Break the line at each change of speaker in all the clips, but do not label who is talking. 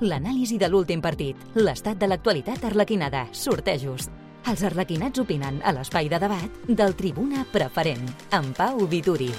l'anàlisi de l'últim partit, l'estat de l'actualitat arlequinada, sortejos. Els arlequinats opinen a l'espai de debat del Tribuna Preferent, amb Pau Vituri.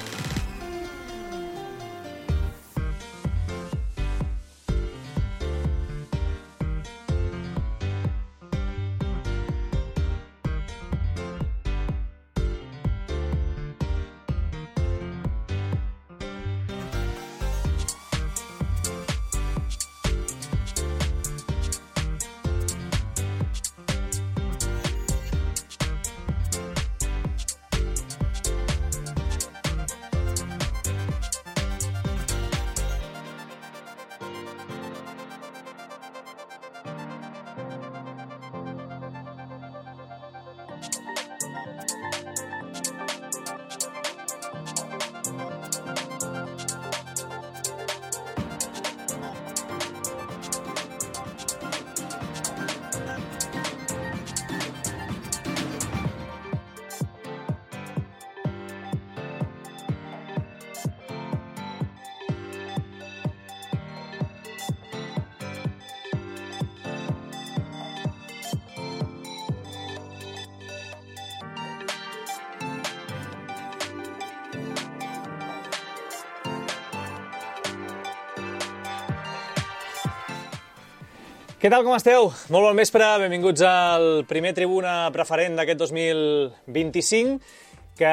Què tal, com esteu? Molt bon vespre, benvinguts al primer Tribuna Preferent d'aquest 2025, que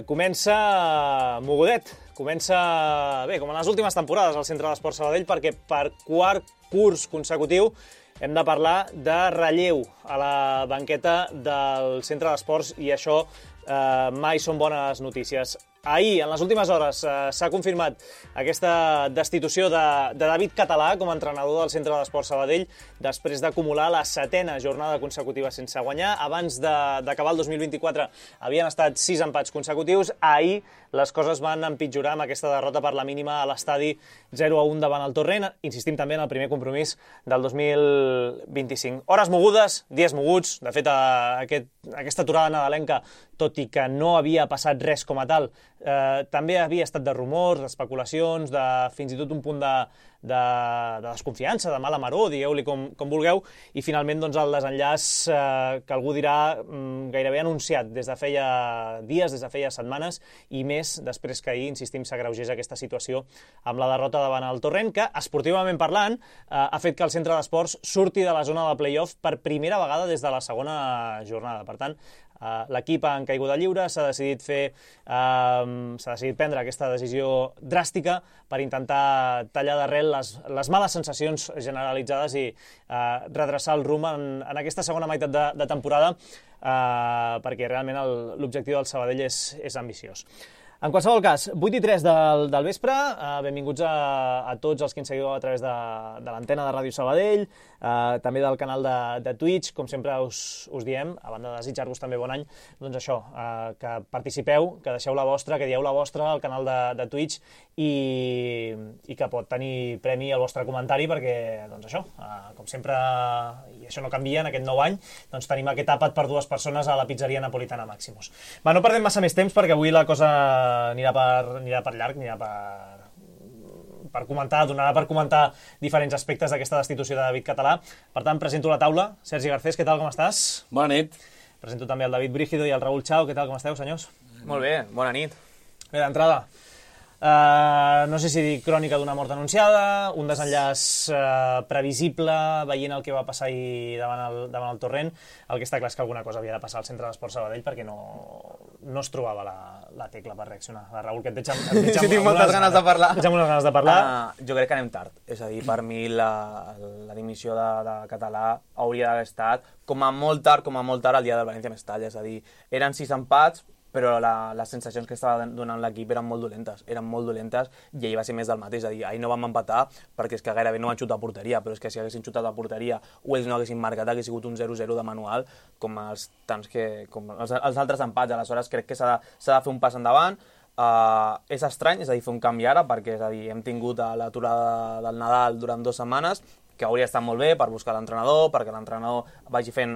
comença mogudet. Comença, bé, com en les últimes temporades al Centre d'Esports Sabadell, perquè per quart curs consecutiu hem de parlar de relleu a la banqueta del Centre d'Esports i això mai són bones notícies. Ahir, en les últimes hores, s'ha confirmat aquesta destitució de David Català com a entrenador del Centre d'Esports Sabadell després d'acumular la 7ª jornada consecutiva sense guanyar. Abans d'acabar el 2024 havien estat 6 empats consecutius. Ahir les coses van empitjorar amb aquesta derrota per la mínima a l'estadi 0-1 davant el Torrent. Insistim també en el primer compromís del 2025. Hores mogudes, dies moguts. De fet, aquesta aturada nadalenca, tot i que no havia passat res com a tal, també havia estat de rumors, d'especulacions, de fins i tot un punt de desconfiança, de mala maror, digueu-li com vulgueu, i finalment doncs, el desenllaç que algú dirà gairebé anunciat des de feia dies, des de feia setmanes, i més després que ahir, insistim, s'agreugés aquesta situació amb la derrota davant el Torrent, que, esportivament parlant, ha fet que el Centre d'Esports surti de la zona de play-off per primera vegada des de la segona jornada. Per tant, l'equip en caiguda lliure s'ha decidit prendre aquesta decisió dràstica per intentar tallar d'arrel les males sensacions generalitzades i redreçar el rumb en aquesta segona meitat de temporada, perquè realment l'objectiu del Sabadell és ambiciós. En qualsevol cas, 8:03 del vespre, benvinguts a tots els que ens seguiu a través de l'antena de Ràdio Sabadell, també del canal de Twitch. Com sempre us diem, a banda de desitjar-vos també bon any, doncs això, que participeu, que deixeu la vostra, que dieu la vostra al canal de Twitch i que pot tenir premi el vostre comentari perquè, doncs això, com sempre, i això no canvia en aquest nou any, doncs tenim aquest àpat per 2 persones a la pizzeria napolitana Maximus. No perdem massa més temps perquè avui la cosa anirà per llarg, donarà per comentar diferents aspectes d'aquesta destitució de David Català. Per tant, presento la taula. Sergi Garcés, què tal, com estàs?
Bona nit.
Presento també el David Brígido i el Raül Chao. Què tal, com esteu, senyors?
Molt bé, bona nit.
Bé, d'entrada, no sé si dir crònica d'una mort anunciada, un desenllaç previsible, veient el que va passar ahir davant el Torrent. El que està clar és que alguna cosa havia de passar al Centre d'Esports Sabadell perquè no es trobava la tecla per reaccionar. Raül, que et veig amb
sí, tinc moltes ganes de parlar.
Jo
crec que anem tard. És a dir, per mi la dimissió de Català hauria d'haver estat com a molt tard el dia del València Mestalla. És a dir, eren 6 empats, però les sensacions que estava donant l'equip eren molt dolentes i ahir va ser més del mateix. És a dir, ahir no vam empatar perquè és que gairebé no van xutar a porteria, però és que si haguessin xutat a porteria o ells no haguessin marcat, hagués sigut un 0-0 de manual com els altres empats. Aleshores crec que s'ha de fer un pas endavant. És estrany, és a dir, fer un canvi ara, perquè és a dir, hem tingut l'aturada del Nadal durant 2 setmanes, que hauria estat molt bé per buscar l'entrenador, perquè l'entrenador vagi fent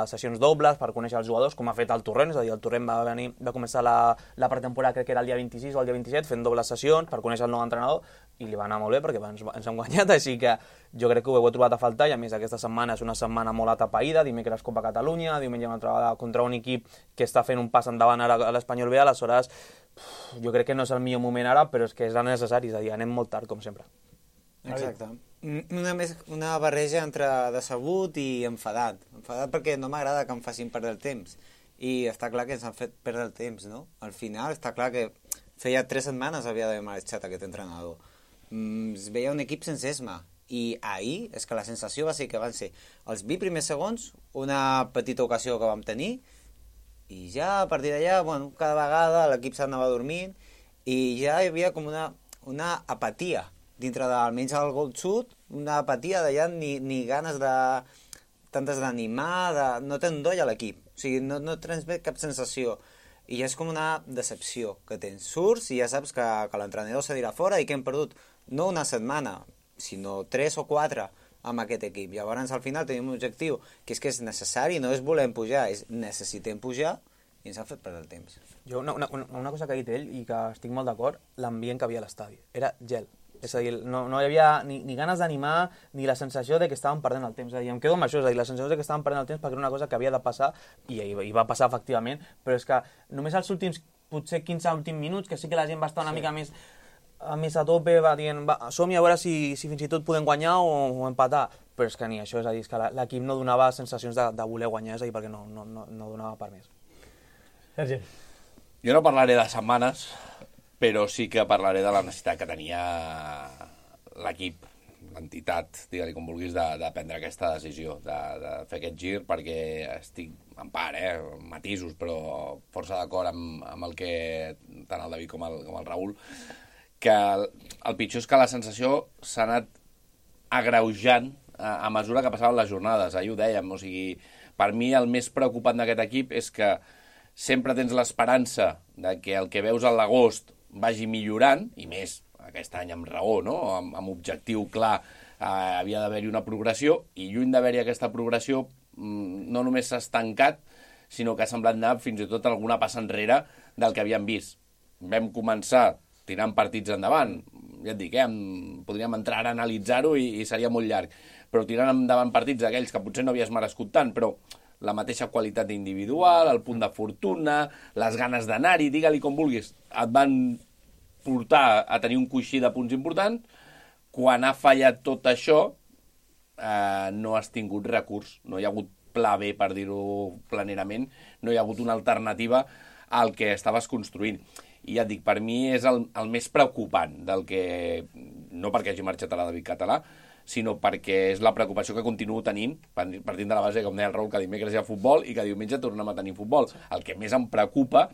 sessions dobles per conèixer els jugadors, com ha fet el Torrent, és a dir, el Torrent va començar la pretemporada, crec que era el dia 26 o el dia 27, fent dobles sessions per conèixer el nou entrenador, i li va anar molt bé perquè ens hem guanyat, així que jo crec que ho he trobat a faltar, i a més aquesta setmana és una setmana molt atapeïda, dimecres Copa Catalunya, diumenge una altra vegada contra un equip que està fent un pas endavant ara a l'Espanyol B, aleshores jo crec que no és el millor moment ara, però és que és necessari, és a dir, anem molt tard, com sempre.
Exacte. Una barreja entre decebut i enfadat. Enfadat perquè no m'agrada que em facin perdre el temps. I està clar que ens han fet perdre el temps, no? Al final està clar que feia 3 setmanes havia d'haver marxat aquest entrenador. Es veia un equip sense esma. I ahir és que la sensació va ser que van ser els 20 primers segons, una petita ocasió que vam tenir, i ja a partir d'allà, bueno, cada vegada l'equip s'anava dormint i ja hi havia com una apatia dintre almenys el gol xut, una apatia d'allà, ni ganes tantes d'animar, no té endoll a l'equip, o sigui, no transmet cap sensació, i és com una decepció que tens. Surts i ja saps que l'entrenador se dirà fora i que hem perdut no una setmana, sinó 3 o 4 amb aquest equip. Llavors al final tenim un objectiu que és necessari, no és volem pujar, és necessitem pujar, i ens ha fet perdre el temps.
Jo, una cosa que ha dit ell i que estic molt d'acord, l'ambient que havia a l'estadi, era gel. És a dir, no hi havia ni ganes d'animar ni la sensació de que estàvem perdent el temps. És a dir, em quedo amb això, és a dir, la sensació de que estàvem perdent el temps perquè era una cosa que havia de passar i va passar efectivament, però és que només els últims, potser 15 últims minuts, que sí que la gent va estar una mica més a tope, va dient, som-hi a veure si fins i tot podem guanyar o empatar, però és que ni això, és a dir, és que l'equip no donava sensacions de voler guanyar, és a dir, perquè no donava per més.
Sergi.
Jo no parlaré de setmanes, però sí que parlaré de la necessitat que tenia l'equip, l'entitat, digue-li com vulguis, de prendre aquesta decisió, de fer aquest gir, perquè estic, en part, matisos, però força d'acord amb el que tant el David com el Raül, que el pitjor és que la sensació s'ha anat agreujant a mesura que passaven les jornades, ahir ho dèiem, o sigui, per mi el més preocupant d'aquest equip és que sempre tens l'esperança de que el que veus a l'agost vagi millorant, i més aquest any amb raó, no? Amb objectiu clar, havia d'haver-hi una progressió, i lluny d'haver-hi aquesta progressió no només s'ha estancat, sinó que ha semblat anar fins i tot alguna passa enrere del que havíem vist. Vam començar tirant partits endavant, ja et dic, podríem entrar a analitzar-ho i seria molt llarg, però tirant endavant partits d'aquells que potser no havies merescut tant, però la mateixa qualitat individual, el punt de fortuna, les ganes d'anar-hi, digue-li com vulguis, et van portar a tenir un coixí de punts importants. Quan ha fallat tot això, no has tingut recurs, no hi ha hagut pla B, per dir-ho planerament, no hi ha hagut una alternativa al que estaves construint. I ja et dic, per mi és el més preocupant del que, no perquè hagi marxat a la David Català, sinó perquè és la preocupació que continuo tenint, partint de la base, com deia el Raül, que dimecres hi ha futbol i que diumenge tornem a tenir futbol. El que més em preocupa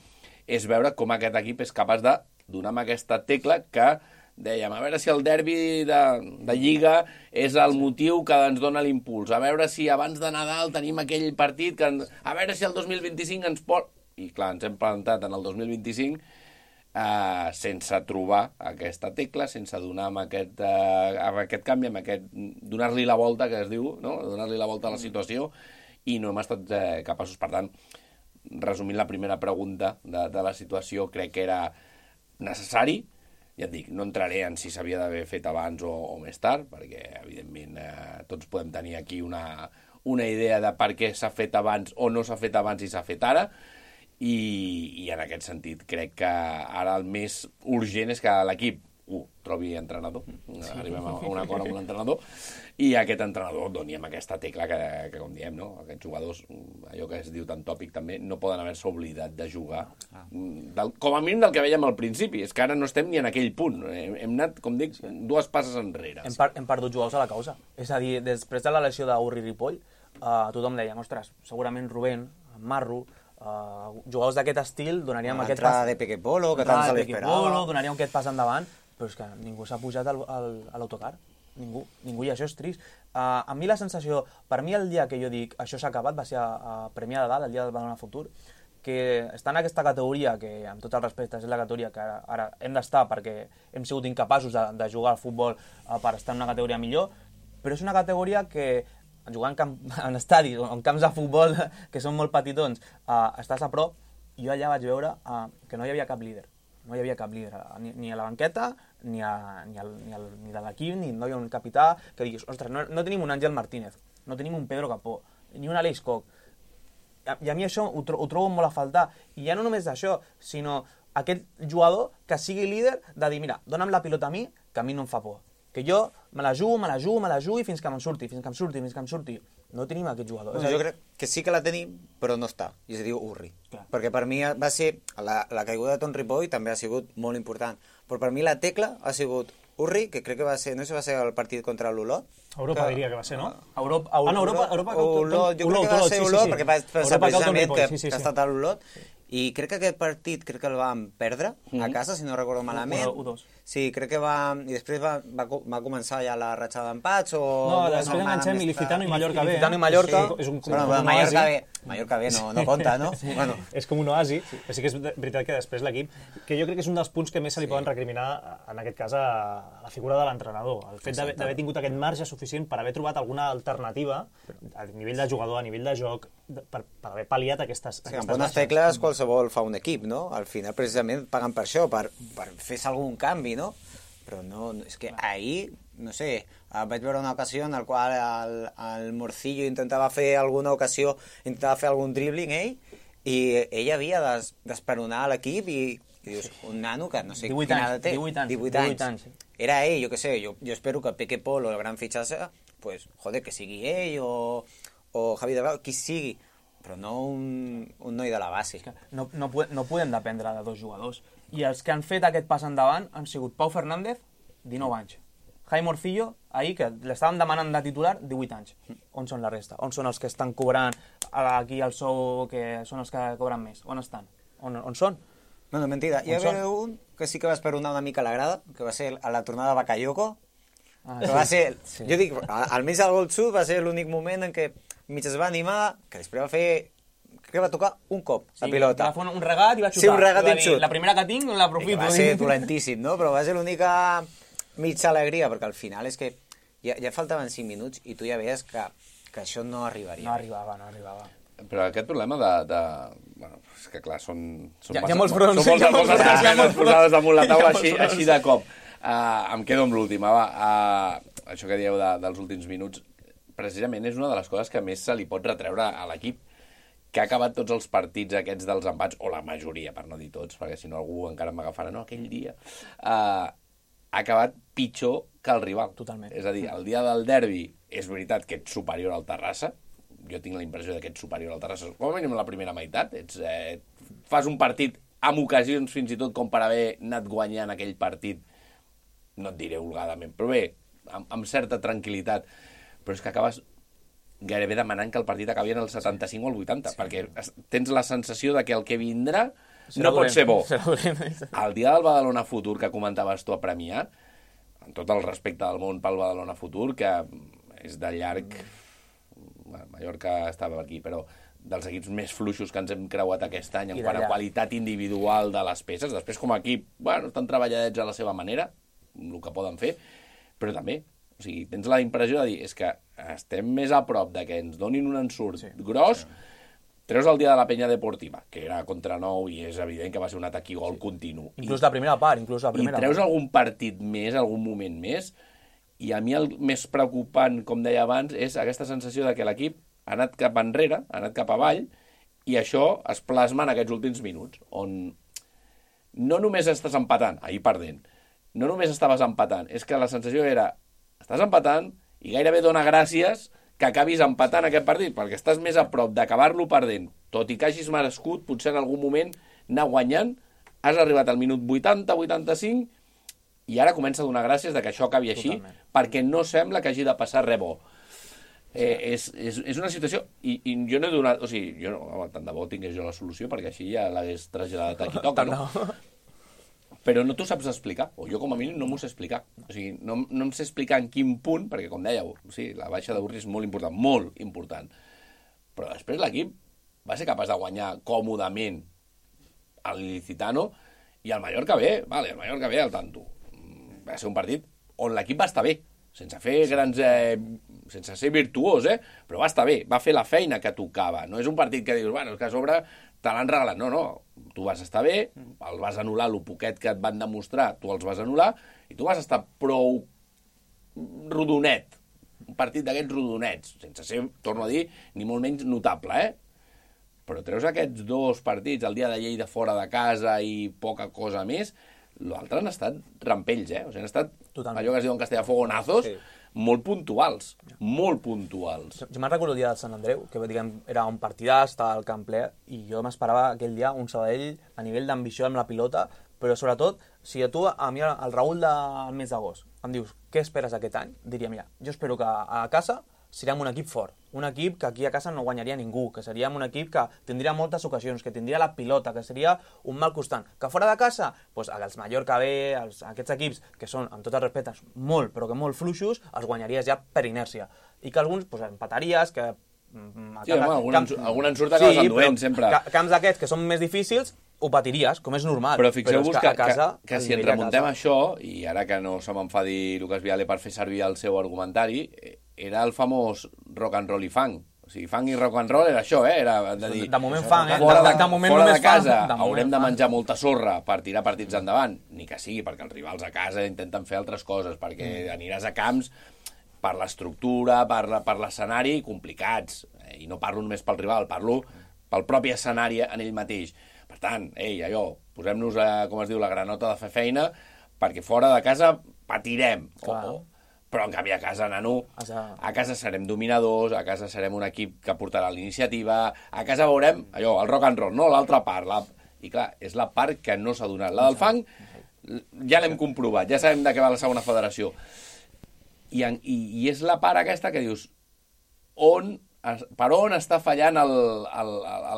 és veure com aquest equip és capaç de donar amb aquesta tecla que dèiem, a veure si el derbi de Lliga és el motiu que ens dona l'impuls, a veure si abans de Nadal tenim aquell partit, a veure si el 2025 ens pot... I clar, ens hem plantat en el 2025 sense trobar aquesta tecla, sense donar amb aquest canvi, donar-li la volta, que es diu, no? Donar-li la volta a la situació, i no hem estat capaços. Per tant, resumint la primera pregunta de la situació, crec que era necessari. Ja et dic, no entraré en si s'havia d'haver fet abans o més tard, perquè evidentment tots podem tenir aquí una idea de per què s'ha fet abans o no s'ha fet abans i s'ha fet ara, i en aquest sentit crec que ara el més urgent és que l'equip trobi entrenador, arribem a un acord amb l'entrenador, i aquest entrenador doni amb aquesta tecla que com diem, no? Aquests jugadors, allò que es diu tan tòpic també, no poden haver-se oblidat de jugar, com a mínim del que veiem al principi. És que ara no estem ni en aquell punt, hem anat, com dic, 2 passes enrere.
Hem perdut jugadors a la causa, és a dir, després de la lesió d'Urri Ripoll, tothom deia, ostres, segurament Rubén, Marro, jugadors d'aquest estil donaríem aquest pas...
L'entrada de Peque Polo, que tant se l'esperava.
Donaríem aquest pas endavant, però és que ningú s'ha pujat a l'autocar. Ningú, i això és trist. A mi la sensació, per mi el dia que jo dic això s'ha acabat va ser a Premià de Dalt, el dia del Badalona Futur, que està en aquesta categoria, que amb tot el respecte és la categoria que ara hem d'estar perquè hem sigut incapaços de jugar al futbol per estar en una categoria millor, però és una categoria que jugant en estadis o en camps de futbol que són molt petitons, estàs a prop. Jo allà vaig veure que no hi havia cap líder. No hi havia cap líder, ni a la banqueta, ni de l'equip, ni no hi havia un capità que diguis, ostres, no tenim un Àngel Martínez, no tenim un Pedro Capó, ni un Aleix Koch. I a mi això ho trobo molt a faltar. I ja no només d'això, sinó aquest jugador que sigui líder de dir, mira, dona'm la pilota a mi, que a mi no em fa por. Que jo me la jugo i fins que em surti. No tenim aquest jugador.
Bueno, jo crec que sí que la tenim, però no està. I es diu Urri. Clar. Perquè per mi va ser... La caiguda de Ton Ripoll també ha sigut molt important. Però per mi la tecla ha sigut Urri, que crec que va ser... No sé si va ser el partit contra l'Olot.
Europa diria que va ser, no?
Europa
Olot, jo crec que va ser Olot, perquè va ser precisament que ha estat a l'Olot. I crec que aquest partit el vam perdre a casa, si no recordo malament.
1-2.
Sí, crec que va... I després va començar ja la ratxada d'empats o...
No, després enganxem Ilicitano i Mallorca B.
Ilicitano i Mallorca.
És un
Mallorca B no compta, no?
Sí. Bueno. És com un oasi. Sí que és veritat que després l'equip... Que jo crec que és un dels punts que més se li poden recriminar, en aquest cas, a la figura de l'entrenador. El fet d'haver tingut aquest marge suficient per haver trobat alguna alternativa a nivell de jugador, a nivell de joc, per haver pal·liat aquestes
amb bones tecles qualsevol fa un equip, no? Al final, precisament, paguen per això, per fer algun canvi, no? Però no, és que ahir, no sé, vaig veure una ocasió en la qual el Morcillo intentava fer alguna ocasió, intentava fer algun dribbling, i ell havia d'esperonar l'equip i dius, un nano que no sé quina edat té. 18 anys. Era ell, jo què sé, jo espero que Peque Polo, el gran fitxatge, pues, joder, que sigui ell o Javi Delgado, qui sigui, però no un noi de la base.
No podem dependre de dos jugadors. I els que han fet aquest pas endavant han sigut Pau Fernández, 19 anys. Jaime Morcillo, ahir, que l'estaven demanant de titular, 18 anys. On són la resta? On són els que estan cobrant aquí el sou, que són els que cobren més? On estan? On són?
No, mentida. Hi havia un que sí que va esperonar una mica a la grada, que va ser a la tornada de Bakayoko, que va ser... Sí. Jo dic, almenys el gol sud va ser l'únic moment en què mig es va animar, que després va fer... Crec que va tocar un cop la pilota.
Va fer un regat i va xutar.
Sí, un regat i un xut.
La primera que tinc l'aprofito.
Va ser dolentíssim, no? Però va ser l'única mitja alegria, perquè al final és que ja faltaven 5 minuts i tu ja veies que això no arribaria.
No arribava.
Però aquest problema bueno, és que clar, són
hi ha molts fronts.
Són moltes esmenes posades damunt la taula així de cop. Em quedo amb l'última, això que dieu dels últims minuts, precisament és una de les coses que més se li pot retreure a l'equip, que ha acabat tots els partits aquests dels empats, o la majoria, per no dir tots, perquè si no algú encara m'agafarà, no, aquell dia, ha acabat pitjor que el rival.
Totalment.
És a dir, el dia del derbi és veritat que ets superior al Terrassa, jo tinc la impressió que ets superior al Terrassa, com a mínim la primera meitat, fas un partit amb ocasions fins i tot com per haver anat guanyant aquell partit, no et diré holgadament, però bé, amb certa tranquil·litat, però és que acabes gairebé demanant que el partit acabi en el 75 o el 80, perquè tens la sensació de que el que vindrà no pot ser bo. El dia del Badalona Futur que comentaves tu a Premià, amb tot el respecte del món pel Badalona Futur, que és de llarg... Mallorca estava aquí, però dels equips més fluixos que ens hem creuat aquest any en quant a qualitat individual de les peces. Després, com a equip, bueno, estan treballadets a la seva manera, el que poden fer, però també, o sigui, tens la impressió de dir, és que estem més a prop de que ens donin un ensurt gros, treus el dia de la penya deportiva, que era contra Nou i és evident que va ser un atac i gol continu.
Inclús la primera part,
I treus algun partit més, algun moment més, i a mi el més preocupant, com deia abans, és aquesta sensació de que l'equip ha anat cap enrere, ha anat cap avall, i això es plasma en aquests últims minuts, on no només estàs empatant, ahir perdent, no només estaves empatant, és que la sensació era, estàs empatant i gairebé dona gràcies que acabis empatant aquest partit, perquè estàs més a prop d'acabar-lo perdent, tot i que hagis merescut, potser en algun moment, anar guanyant, has arribat al minut 80-85, i ara comença a donar gràcies de que això acabi així, perquè no sembla que hagi de passar res bo. És una situació, i jo no he donat, o sigui, jo no, tant de bo tingués jo la solució, perquè així ja l'hagués traslladat a qui toca, no? Però no t'ho saps explicar, o jo com a mínim no m'ho sé explicar. O sigui, no em sé explicar en quin punt, perquè com dèieu, sí, la baixa d'Urri és molt important, però després l'equip va ser capaç de guanyar còmodament el Ilicitano, i el Mallorca bé, vale, el Mallorca bé al tanto. Va ser un partit on l'equip va estar bé, sense fer grans... sense ser virtuós, però va estar bé, va fer la feina que tocava. No és un partit que dius, bueno, és que a sobre te l'han regalat. No, tu vas estar bé, el vas anul·lar, el poquet que et van demostrar, tu els vas anul·lar, i tu vas estar prou rodonet. Un partit d'aquests rodonets, sense ser, torno a dir, ni molt menys notable, Però treus aquests dos partits, el dia de Lleida fora de casa i poca cosa més, l'altre han estat rampells, O sigui, han estat allò que es diu en castellà fogonazos, molt puntuals, molt puntuals.
Jo me'n recordo el dia del Sant Andreu, que diguem, era un partidàs, estava al camp ple, i jo m'esperava aquell dia un Sabadell a nivell d'ambició amb la pilota, però sobretot, si tu a mi el Raül del mes d'agost em dius què esperes aquest any, diria, mira, jo espero que a casa serem un equip fort, un equip que aquí a casa no guanyaria ningú, que seríem un equip que tindria moltes ocasions, que tindria la pilota, que seria un mal constant. Que fora de casa, doncs, els Mallorca B, aquests equips que són, amb tots els respectes, molt, però que molt fluixos, els guanyaries ja per inèrcia. I que alguns doncs, empataries, que...
Sí, algun ensurt acabes enduent, sempre.
Camps d'aquests que són més difícils, ho patiries, com és normal.
Però fixeu-vos que si ens remuntem
a
això, i ara que no se m'enfadi Lucas Viale per fer servir el seu argumentari, era el famós rock and roll i funk. O sigui, funk i rock and roll era això, Era de dir...
De moment funk,
Fora de casa haurem de menjar molta sorra per tirar partits endavant, ni que sigui, perquè els rivals a casa intenten fer altres coses, perquè aniràs a camps per l'estructura, per l'escenari, complicats. I no parlo només pel rival, parlo pel propi escenari en ell mateix. Per tant, posem-nos, com es diu, la granota de fer feina, perquè fora de casa patirem. Però en canvi a casa, nano, a casa serem dominadors, a casa serem un equip que portarà l'iniciativa, a casa veurem el rock and roll, no l'altra part. I clar, és la part que no s'ha donat. La del fang ja l'hem comprovat, ja sabem de què va la segona federació. I és la part aquesta que dius, per on està fallant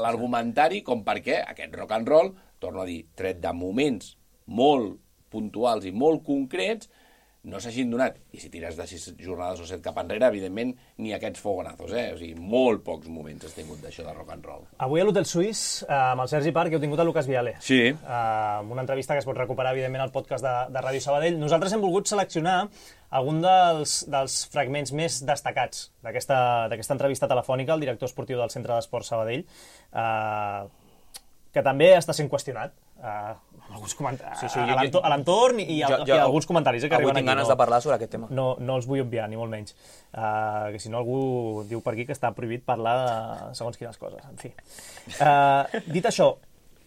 l'argumentari com perquè aquest rock and roll, torno a dir, tret de moments molt puntuals i molt concrets, no s'hagin donat. I si tires de 6 jornades o 7 cap enrere, evidentment, ni aquests fogonazos, O sigui, molt pocs moments has tingut d'això de rock and roll.
Avui a l'Hotel Suís, amb el Sergi Parc, heu tingut a Lucas Viale.
Sí.
Amb una entrevista que es pot recuperar, evidentment, al podcast de Ràdio Sabadell. Nosaltres hem volgut seleccionar algun dels fragments més destacats d'aquesta entrevista telefònica al director esportiu del Centre d'Esports Sabadell, que també està sent qüestionat alguns a l'entorn i alguns comentaris que arriben aquí.
Avui tinc ganes de parlar sobre aquest tema.
No els vull obviar, ni molt menys. Que si no algú diu per aquí que està prohibit parlar de segons quines coses. En fi. Dit això,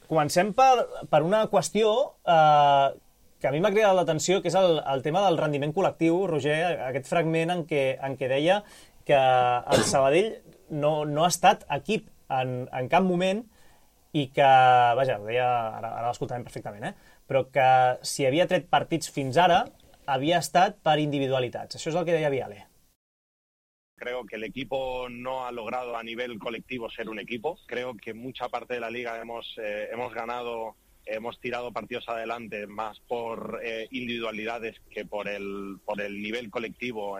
comencem per una qüestió que a mi m'ha cridat l'atenció, que és el tema del rendiment col·lectiu, Roger, aquest fragment en què deia que el Sabadell no ha estat equip en cap moment i que, vaja, ho deia, ara l'escoltarem perfectament, però que si havia tret partits fins ara havia estat per individualitats. Això és el que deia Viale.
Creo que el equipo no ha logrado a nivel colectivo ser un equipo. Creo que mucha parte de la liga hemos ganado, hemos tirado partidos adelante más por individualidades que por el nivel colectivo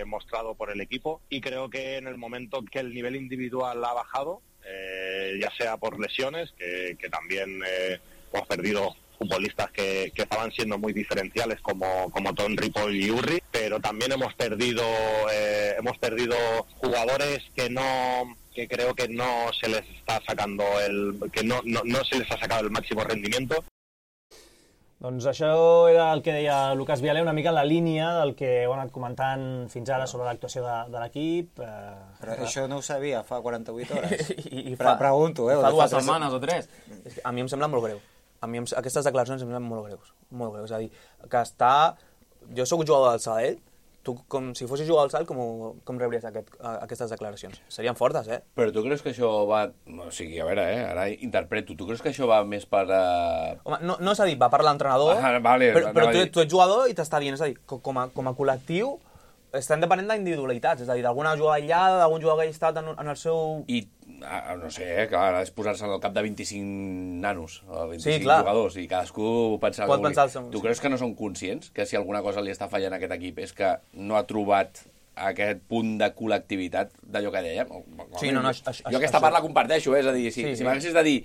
mostrado por el equipo. Y creo que en el momento que el nivel individual ha bajado, ya sea por lesiones, que también hemos perdido futbolistas que estaban siendo muy diferenciales como Ton, Ripoll y Urri, pero también hemos perdido jugadores que creo que no se les está sacando no se les ha sacado el máximo rendimiento.
Doncs això era el que deia Lucas Viale, una mica en la línia del que heu anat comentant fins ara sobre l'actuació de l'equip.
Però això no ho sabia fa 48 hores.
Pregunto, fa 2 setmanes o 3. A mi em sembla molt greu. Aquestes declaracions em semblen molt greus. Molt greus. És a dir, que està... Jo sóc jugador del Sabadell, tu, com si fossis jugador del Sabadell, com rebries aquestes declaracions? Serien fortes,
Però tu creus que això va... O sigui, a veure, ara interpreto. Tu creus que això va més per...
Home, no s'ha dit, va per l'entrenador, però tu ets jugador i t'està dient, és a dir, com a col·lectiu estem depenent d'individualitats, és a dir, d'alguna jugada aïllada, d'algun jugador que hagi estat en el seu...
I, no sé, clar, ara és posar-se al cap de 25 nanos, o 25 jugadors, i cadascú pensar...
Pot pensar el seu...
Tu creus que no són conscients que si alguna cosa li està fallant a aquest equip és que no ha trobat aquest punt de col·lectivitat d'allò que dèiem.
Sí, no,
Jo aquesta part la comparteixo, és a dir, si m'haguessis de dir,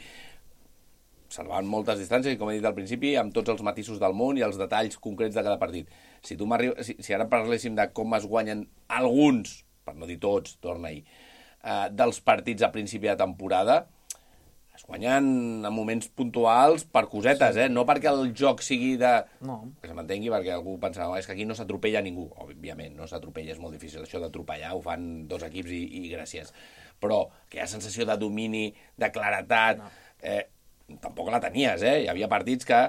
salvant moltes distàncies, com he dit al principi, amb tots els matisos del món i els detalls concrets de cada partit. Si ara parléssim de com es guanyen alguns, per no dir tots, torna-hi, dels partits a principi de temporada, es guanyen en moments puntuals per cosetes, no perquè el joc sigui de... No. Que se m'entengui, perquè algú pensa, és que aquí no s'atropella ningú. Òbviament, no s'atropella, és molt difícil. Això d'atropellar ho fan dos equips i gràcies. Però que hi ha sensació de domini, de claretat... tampoc la tenies, Hi havia partits que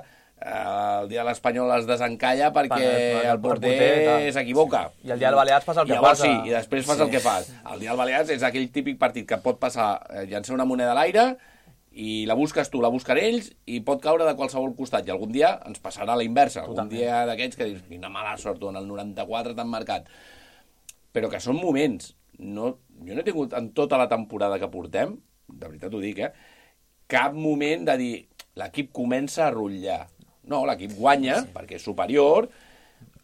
el dia de l'Espanyol es desencalla perquè el porter s'equivoca.
I el dia del Balears passa el que passa.
Sí, i després fas el que fas. El dia del Balears és aquell típic partit que pot passar, llançar una moneda a l'aire i la busques tu, la busquen ells i pot caure de qualsevol costat. I algun dia ens passarà a la inversa. Algun dia d'aquests que dius, quina mala sort, en el 94 t'han marcat. Però que són moments. Jo no he tingut en tota la temporada que portem, de veritat ho dic, cap moment de dir l'equip comença a rotllar. No, l'equip guanya perquè és superior,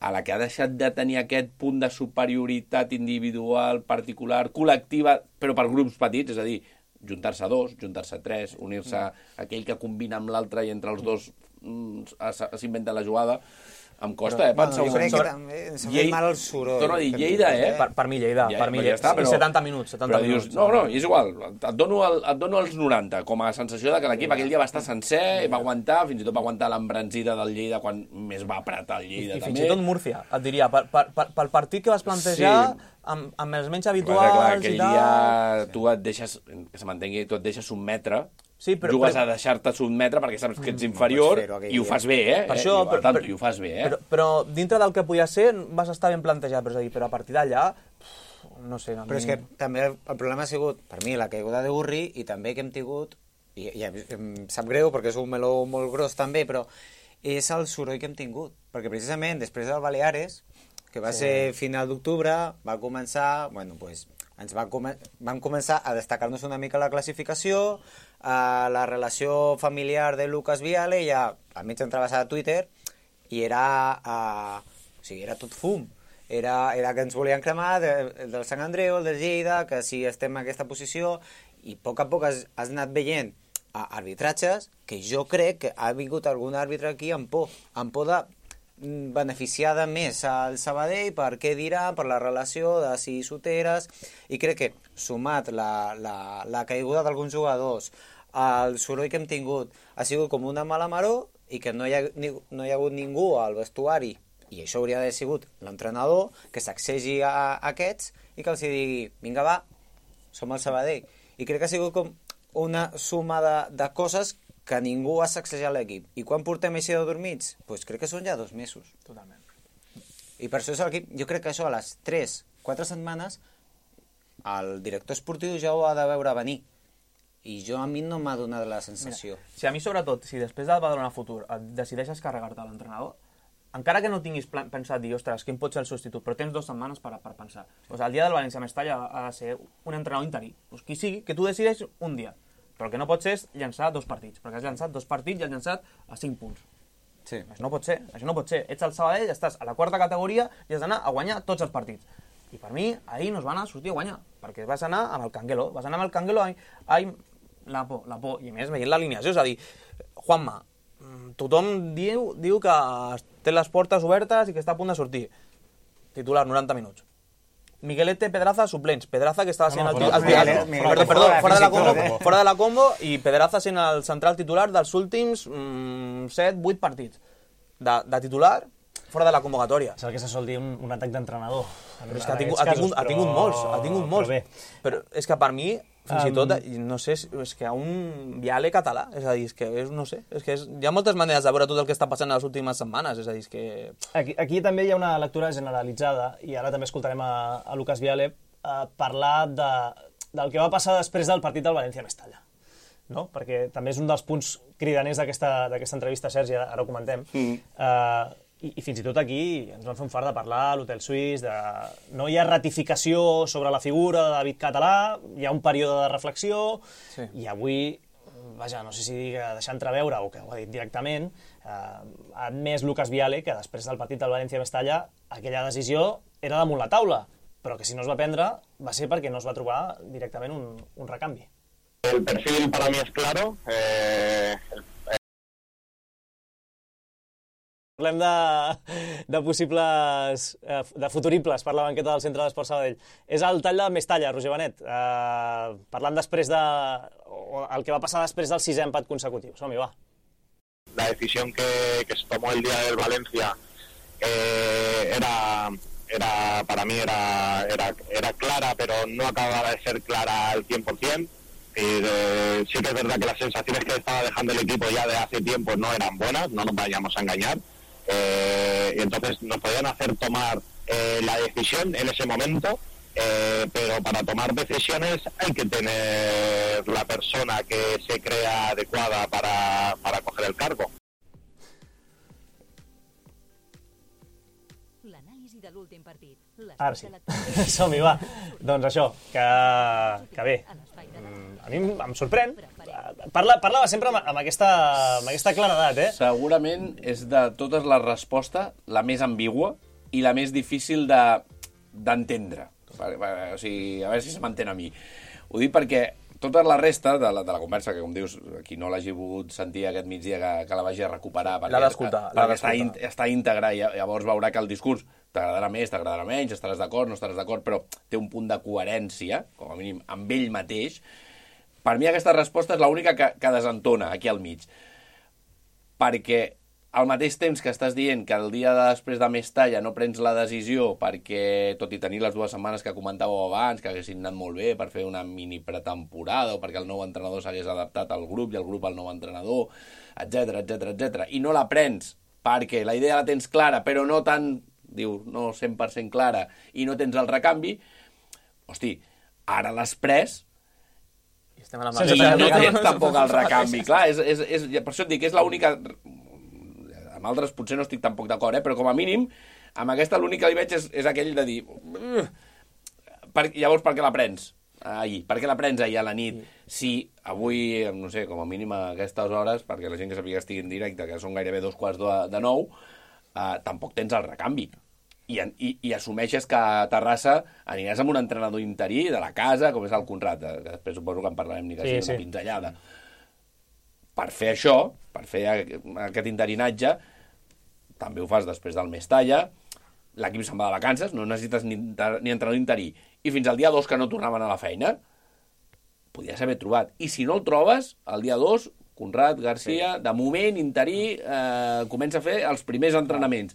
a la que ha deixat de tenir aquest punt de superioritat individual, particular, col·lectiva, però per grups petits, és a dir, juntar-se a dos, juntar-se a tres, unir-se a aquell que combina amb l'altre i entre els dos s'inventa la jugada. Em costa, pensar...
Jo crec que també ens ha fet mal el soroll.
Torno a dir, Lleida,
Per mi Lleida. Per mi Lleida. I 70 minuts.
Però dius, no, és igual. Et dono els 90, com a sensació de que l'equip aquell dia va estar sencer, va aguantar, fins i tot va aguantar l'embranzida del Lleida quan més va apretar el Lleida, també.
I fins i tot Múrcia, et diria, pel partit que vas plantejar, amb els menys habituals i tal...
Aquell dia tu et deixes, que se m'entengui, tu et deixes sotmetre, jugues a deixar-te sotmetre perquè saps que ets inferior i ho fas bé,
Per això,
i ho fas bé,
Però dintre del que podia ser vas estar ben plantejat, però a partir d'allà, no sé...
Però és que també el problema ha sigut, per mi, la caiguda de Gurri i també que hem tingut, i em sap greu perquè és un meló molt gros també, però és el soroll que hem tingut. Perquè precisament després del Baleares, que va ser final d'octubre, va començar, vam començar a destacar-nos una mica la classificació, la relació familiar de Lucas Viale, ja al mig entraves a Twitter i era tot fum. Era que ens volien cremar del Sant Andreu, el del Lleida, que si estem en aquesta posició, i a poc has anat veient arbitratges que jo crec que ha vingut algun àrbitre aquí amb por de beneficiar de més al Sabadell per què dirà, per la relació de si soteres, i crec que sumat la caiguda d'alguns jugadors, el soroll que hem tingut ha sigut com una mala maror i que no hi ha hagut ningú al vestuari, i això hauria d'haver sigut l'entrenador, que s'accegi a aquests i que els digui, vinga va, som el Sabadell. I crec que ha sigut com una suma de coses que ningú ha sacsejat l'equip. I quan portem així de dormits? Doncs crec que són ja 2 mesos.
Totalment.
I per això és l'equip... Jo crec que això a les 3-4 setmanes el director esportiu ja ho ha de veure venir. I a mi no m'ha donat la sensació.
Mira, si a mi sobretot, si després del Badalona Futur decideixes carregar-te l'entrenador, encara que no tinguis pensat dir, ostres, quin pot ser el substitut, però tens 2 setmanes per pensar. Doncs el dia del València-Mestalla ha de ser un entrenador interí. Doncs qui sigui, que tu decideix un dia. Però el que no pot ser és llançar 2 partits, perquè has llançat 2 partits i has llançat a 5 punts.
Sí.
Això no pot ser. Ets al Sabadell, estàs a la 4ª categoria i has d'anar a guanyar tots els partits. I per mi, ahir no es van sortir a guanyar, perquè vas anar amb el Canguelo. La por. I a més, veient l'alineació, és a dir, Juanma, tothom diu que té les portes obertes i que està a punt de sortir. Titular, 90 minuts. Miguelete, Pedraza, suplents. Pedraza, que estava sent fora de la combo, i Pedraza sent el central titular dels últims 7-8 partits. De titular, fora de la convocatòria.
És el que se sol dir un atac d'entrenador.
Però és que ha tingut molts. Però és que per mi, fins i tot, no sé, és que un Viale català, és a dir, és que no sé, hi ha moltes maneres de veure tot el que està passant en les últimes setmanes, és a dir, és que...
Aquí també hi ha una lectura generalitzada, i ara també escoltarem a Lucas Viale parlar del que va passar després del partit del València-Mestalla, no? Perquè també és un dels punts cridaners d'aquesta entrevista, Sergi, ara ho comentem. I fins i tot aquí ens van fer un fart de parlar a l'Hotel Suís, no hi ha ratificació sobre la figura de David Català, hi ha un període de reflexió, i avui, vaja, no sé si deixar entreveure o que ho ha dit directament, ha admès Lucas Viale que després del partit del València-Mestalla aquella decisió era damunt la taula però que si no es va prendre va ser perquè no es va trobar directament un recanvi.
El perfil para mí es claro.
Parlem de possibles, de futuribles per la banqueta del Centre d'Esport Sabadell. És el tall de Mestalla, Roger Benet. Parlant després el que va passar després del 6è empat consecutiu. Som-hi, va.
La decisión que se tomó el día del Valencia para mí era clara, pero no acababa de ser clara al 100%. Sí que es verdad que las sensaciones que estaba dejando el equipo ya de hace tiempo no eran buenas, no nos vayamos a engañar. Y entonces nos podían hacer tomar la decisión en ese momento, pero para tomar decisiones hay que tener la persona que se crea adecuada para coger el cargo.
L'anàlisi de l'últim partit.
Ara sí. Som-hi, va. Doncs això, que bé. A mi em sorprèn. Parlava sempre amb aquesta claredat, eh?
Segurament és de totes les respostes la més ambigua i la més difícil d'entendre. O sigui, a veure si se m'entén a mi. Ho dic perquè tota la resta de la conversa, que com dius, qui no l'hagi pogut sentir aquest migdia que la vagi a recuperar, perquè està íntegra i llavors veurà que el discurs t'agradarà més, t'agradarà menys, estaràs d'acord, no estaràs d'acord, però té un punt de coherència, com a mínim, amb ell mateix. Per mi aquesta resposta és l'única que desentona aquí al mig. Perquè al mateix temps que estàs dient que el dia després de Mestalla no prens la decisió perquè, tot i tenir les 2 setmanes que comentàveu abans, que haguessin anat molt bé per fer una mini pretemporada o perquè el nou entrenador s'hagués adaptat al grup i el grup al nou entrenador, etc, i no la prens perquè la idea la tens clara, però no tan, diu, no 100% clara, i no tens el recanvi, hosti, ara l'has pres
i estem a la
i no tens tampoc el recanvi. Clar, per això et dic que és l'única... Amb altres potser no estic tampoc d'acord, però com a mínim, amb aquesta l'únic que li veig és aquell de dir... Llavors, per què la prens ahir? Per què la prens ahir a la nit? Si avui, no sé, com a mínim a aquestes hores, perquè la gent que sàpiga que estigui en directe, que són gairebé 2:45, tampoc tens el recanvi. I assumeixes que a Terrassa aniràs amb un entrenador interí de la casa, com és el Conrad, que després suposo que en parlarem ni que sigui una pinzellada. Per fer això, per fer aquest interinatge, també ho fas després del Mestalla, l'equip se'n va de vacances, no necessites ni entrenador interí, i fins al dia 2 que no tornaven a la feina, podies haver trobat. I si no el trobes, el dia 2, Conrad, Garcia, de moment, interí, comença a fer els primers entrenaments.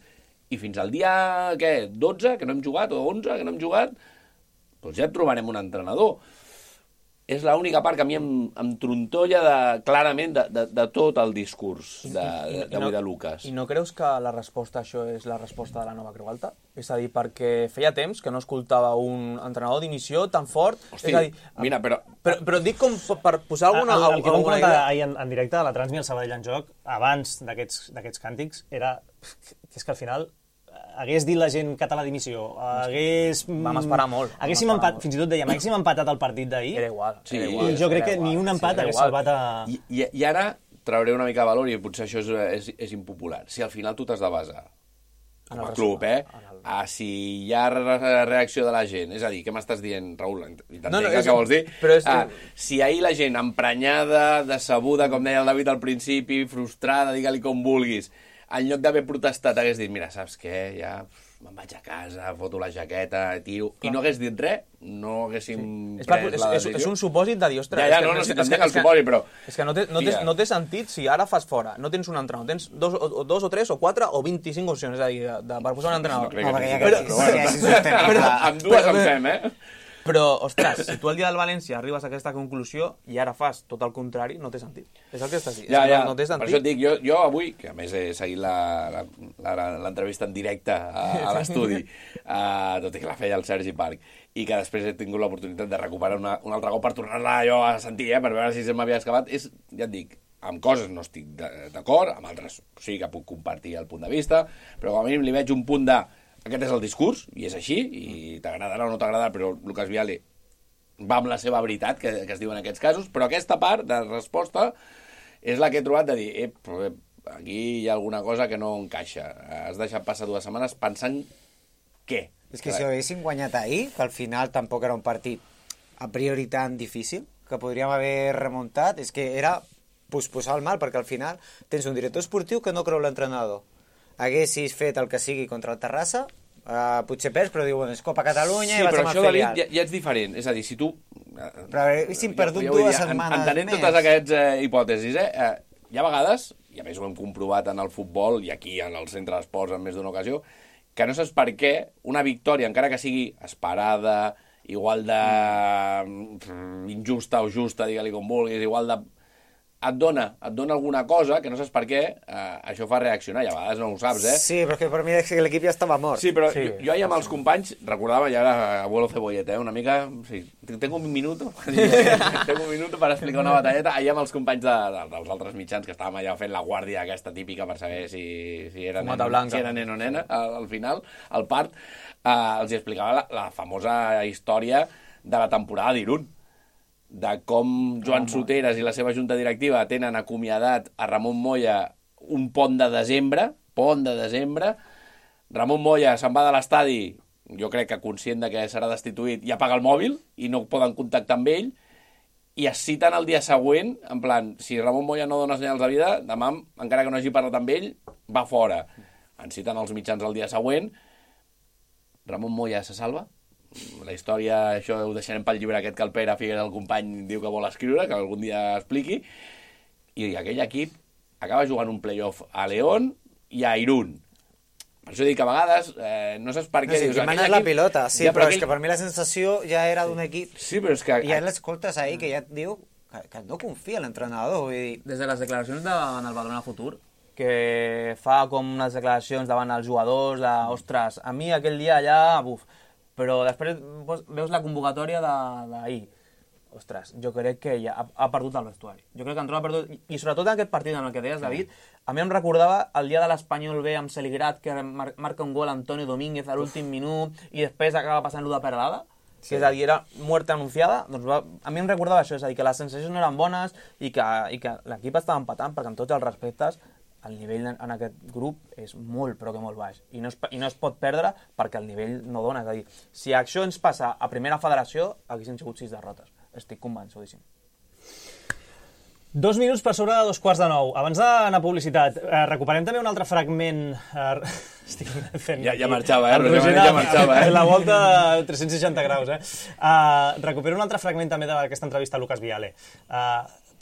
I fins al dia, 12, que no hem jugat, o 11, que no hem jugat, doncs ja et trobarem un entrenador. És l'única part que a mi em trontolla clarament de tot el discurs d'avui de Lucas.
I no creus que la resposta a això és la resposta de la nova Creu Alta? És a dir, perquè feia temps que no escoltava un entrenador d'inició tan fort.
Hosti,
és a dir,
mira,
però dic com per posar alguna
el que vam comentar
idea.
ahir en directe de la Transmi al Sabadell en Joc, abans d'aquests càntics, era que és que al final hagués dit la gent català d'inició,
Vam esperar molt.
Fins i tot dèiem, haguéssim empatat el partit d'ahir.
Era igual.
I jo crec que ni un empat hagués salvat a...
I ara trauré una mica de valor, i potser això és impopular. Si al final tu t'has de basar com a club, si hi ha reacció de la gent, és a dir, què m'estàs dient, Raül? Què vols dir? Si ahir la gent emprenyada, decebuda, com deia el David al principi, frustrada, digue-li com vulguis, en lloc d'haver protestat hagués dit, mira, saps què, ja me'n vaig a casa, foto la jaqueta, tio, i no hagués dit res, no haguéssim pres la decisió.
És un supòsit de dir, ostres...
No, si t'entenc el supòsit, però...
És que no té sentit si ara fas fora, no tens un entrenador, tens dos o tres o quatre o 25 opcions, és a dir, per posar un entrenador.
Amb dues en fem,
Però, ostres, si tu el dia del València arribes a aquesta conclusió i ara fas tot el contrari, no té sentit. És el que estàs dient. No té sentit.
Per això et dic, jo avui, que a més he seguit l'entrevista en directe a l'estudi, tot i que la feia el Sergi Parc, i que després he tingut l'oportunitat de recuperar un altre cop per tornar-la jo a sentir, per veure si se m'havia excavat, ja et dic, amb coses no estic d'acord, amb altres sí que puc compartir el punt de vista, però com a mínim li veig un punt de... Aquest és el discurs, i és així, i t'agradarà o no t'agradarà, però Lucas Viale va amb la seva veritat, que es diu en aquests casos, però aquesta part de resposta és la que he trobat de dir, aquí hi ha alguna cosa que no encaixa. Has deixat passar 2 setmanes pensant què?
És que si ho haguessin guanyat ahir, que al final tampoc era un partit a priori tan difícil, que podríem haver remuntat, és que era posposar el mal, perquè al final tens un director esportiu que no creu l'entrenador. Haguessis fet el que sigui contra el Terrassa, potser perds, però diu, bueno, és Copa Catalunya i vaig amb el filial. Sí, però això,
ja és diferent. És a dir, si tu...
Però haguéssim perdut 2 setmanes
entenent
més.
Totes aquestes hipòtesis, hi ha vegades, i a més ho hem comprovat en el futbol i aquí en el centre d'esports en més d'una ocasió, que no saps per què una victòria, encara que sigui esperada, igual de injusta o justa, digue-li com vulguis, igual de... et dona alguna cosa que no saps per què, això fa reaccionar, i a vegades no ho saps,
Sí, però és que per mi l'equip ja estava mort.
Sí, però sí, jo ahir amb els companys recordava, ja era abuelo cebolleta, una mica... Sí, tengo un minuto per explicar una batalleta. Ahir amb els companys dels altres mitjans, que estàvem allà fent la guàrdia aquesta típica per saber si era nen o nena, al final, al part, els explicava la famosa història de la temporada d'Irún, de com Joan Soteras i la seva junta directiva tenen acomiadat a Ramon Moya un pont de desembre, Ramon Moya se'n va de l'estadi, jo crec que conscient de que serà destituït, i apaga el mòbil i no poden contactar amb ell, i es citen el dia següent, en plan, si Ramon Moya no dona senyals de vida, demà, encara que no hagi parlat amb ell, va fora. Ens citen els mitjans el dia següent, Ramon Moya se salva? La història, això ho deixarem pel llibre aquest que el Pere Figuera, el company, diu que vol escriure, que algun dia expliqui, i aquell equip acaba jugant un play-off a León i a Irún. Per això dic que a vegades no saps per què...
Sí, que manes la pilota, sí, però és que per mi la sensació ja era d'un equip...
Sí, però és que...
I ja l'escoltes ahir, que ja et diu que no confia en l'entrenador, vull dir...
Des de les declaracions davant el Badalona Futur, que fa com unes declaracions davant els jugadors, de, ostres, a mi aquell dia allà, buf, però després veus la convocatòria d'ahir. Ostres, jo crec que ja ha perdut el vestuari. Jo crec que Andreu ha perdut... I sobretot en aquest partit en el que deies, David, a mi em recordava el dia de l'Espanyol B amb Celigrat, que marca un gol Antonio Domínguez a l'últim minut i després acaba passant-lo de Peralada, que és a dir, era muerte anunciada. Doncs a mi em recordava això, és a dir, que les sensacions no eren bones i que l'equip estava empatant, perquè amb tots els respectes el nivell en aquest grup és molt, però que molt baix. I no es pot perdre perquè el nivell no dona. És a dir, si això ens passa a primera federació, haguessin sigut 6 derrotes. Estic convençudíssim.
2 minuts per sobre de 2:15. Abans d'anar a publicitat, recuperem també un altre fragment... Estic fent...
Ja marxava, ja marxava.
La volta a 360 graus, Recupero un altre fragment també d'aquesta entrevista a Lucas Viale.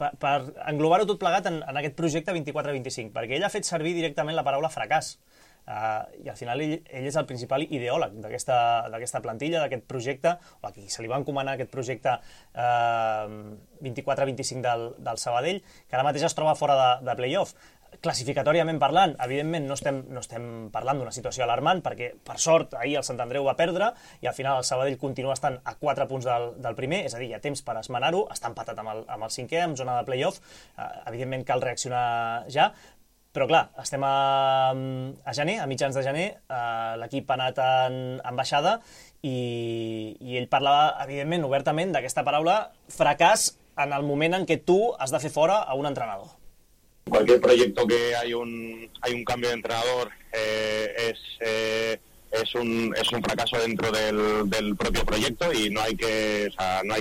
Per englobar-ho tot plegat en aquest projecte 24-25, perquè ell ha fet servir directament la paraula fracàs. I al final ell és el principal ideòleg d'aquesta plantilla, d'aquest projecte, o a qui se li va encomanar aquest projecte 24-25 del Sabadell, que ara mateix es troba fora de play-off. Classificatòriament parlant, evidentment no estem parlant d'una situació alarmant, perquè per sort ahir el Sant Andreu va perdre i al final el Sabadell continua estant a 4 punts del primer, és a dir, hi ha temps per esmenar-ho, està empatat amb el cinquè, en zona de play-off, evidentment cal reaccionar ja, però clar, estem a gener, a mitjans de gener, l'equip ha anat en baixada i ell parlava, evidentment, obertament d'aquesta paraula fracàs en el moment en què tu has de fer fora a un entrenador.
Cualquier proyecto que hay un cambio de entrenador es un fracaso dentro del propio proyecto y no hay que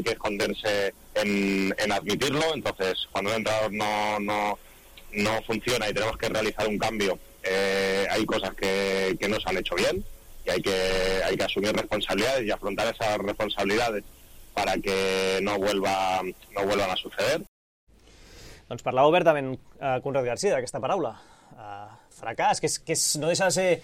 esconderse en admitirlo. Entonces, cuando un entrenador no funciona y tenemos que realizar un cambio, hay cosas que no se han hecho bien y hay que asumir responsabilidades y afrontar esas responsabilidades para que no vuelvan a suceder.
Doncs parlava obertament Conrad García d'aquesta paraula, fracàs, que no deixa de ser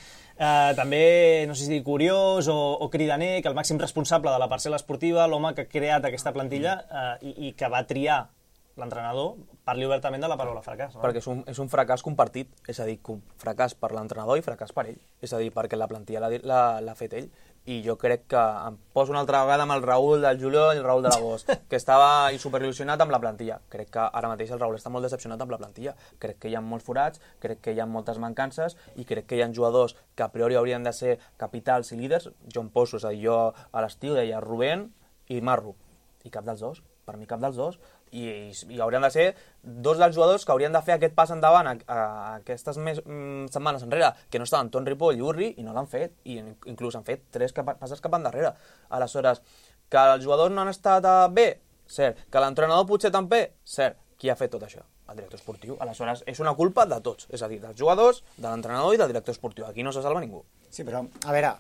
també, no sé si dir, curiós o cridaner, que el màxim responsable de la parcel·la esportiva, l'home que ha creat aquesta plantilla i que va triar l'entrenador, parli obertament de la paraula fracàs. No?
Perquè és un fracàs compartit, és a dir, fracàs per l'entrenador i fracàs per ell. És a dir, perquè la plantilla l'ha fet ell. I jo crec que em poso una altra vegada amb el Raül del juliol i el Raül de l'agost, que estava superil·lusionat amb la plantilla. Crec que ara mateix el Raül està molt decepcionat amb la plantilla. Crec que hi ha molts forats, crec que hi ha moltes mancances i crec que hi ha jugadors que a priori haurien de ser capitals i líders. Jo em poso, és a dir, jo a l'estiu deia Rubén i Marro, i cap dels dos. Per mi cap dels dos, i haurien de ser dos dels jugadors que haurien de fer aquest pas endavant a aquestes setmanes enrere, que no estaven Ton Ripoll i Urri, i no l'han fet, i inclús han fet 3 passes cap endarrere. Aleshores, que els jugadors no han estat bé, cert. Que l'entrenador potser també, cert. Qui ha fet tot això? El director esportiu. Aleshores, és una culpa de tots, és a dir, dels jugadors, de l'entrenador i del director esportiu. Aquí no se salva ningú.
Sí, però, a veure,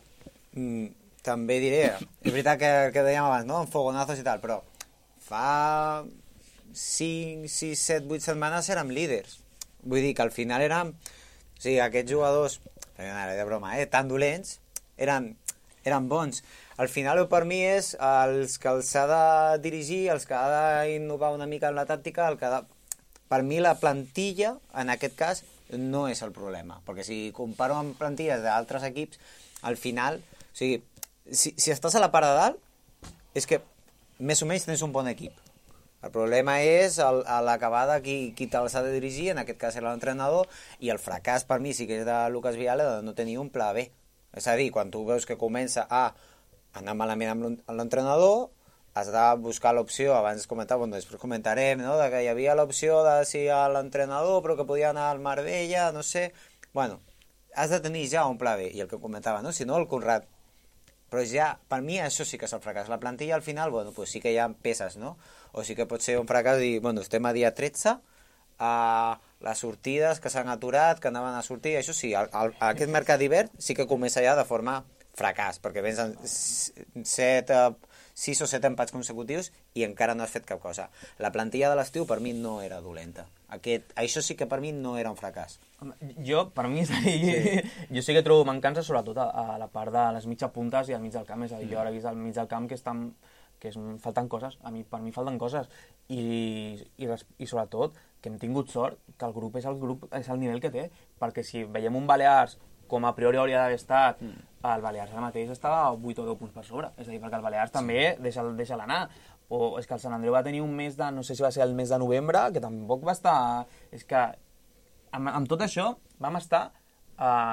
també diré, és veritat que dèiem abans, no?, en fogonazos i tal, però fa 5, 6, 7, 8 setmanes érem líders. Vull dir que al final érem... O sigui, aquests jugadors, de broma, tan dolents, eren bons. Al final, per mi, és els que els ha de dirigir, els que ha d'innovar una mica en la tàctica, per mi la plantilla, en aquest cas, no és el problema. Perquè si comparo amb plantilles d'altres equips, al final, o sigui, si estàs a la part de dalt, és que més o menys tens un bon equip. El problema és a l'acabada qui te'ls ha de dirigir, en aquest cas era l'entrenador, i el fracàs per mi sí que és de Lucas Viale de no tenir un pla B. És a dir, quan tu veus que comença a anar malament amb l'entrenador, has de buscar l'opció, abans comentava, després comentarem, no?, de que hi havia l'opció de si a l'entrenador, però que podia anar al Marbella, no sé... Bueno, has de tenir ja un pla B, i el que comentava, no?, si no el Conrad. Però ja, per mi, això sí que és el fracàs. La plantilla, al final, bueno, pues sí que hi ha peces, no? O sí que pot ser un fracàs i, bueno, estem a dia 13, les sortides que s'han aturat, que anaven a sortir, això sí, aquest mercat d'hivern sí que comença ja de forma fracàs, perquè vens en 6 o 7 empats consecutius i encara no has fet cap cosa. La plantilla de l'estiu per mi no era dolenta. Això sí que per mi no era un fracàs.
Per mi, jo sí que trobo mancança sobretot a la part de les mitja puntes i al mig del camp. És a dir, jo ara he vist al mig del camp que falten coses. Per mi falten coses. I sobretot que hem tingut sort que el grup és el nivell que té. Perquè si veiem un Balears com a priori hauria d'haver estat, el Balears ara mateix estava a 8 o 10 punts per sobre. És a dir, perquè el Balears també deixa l'anar. O és que el Sant Andreu va tenir un mes de... No sé si va ser el mes de novembre, que tampoc va estar... És que amb tot això vam estar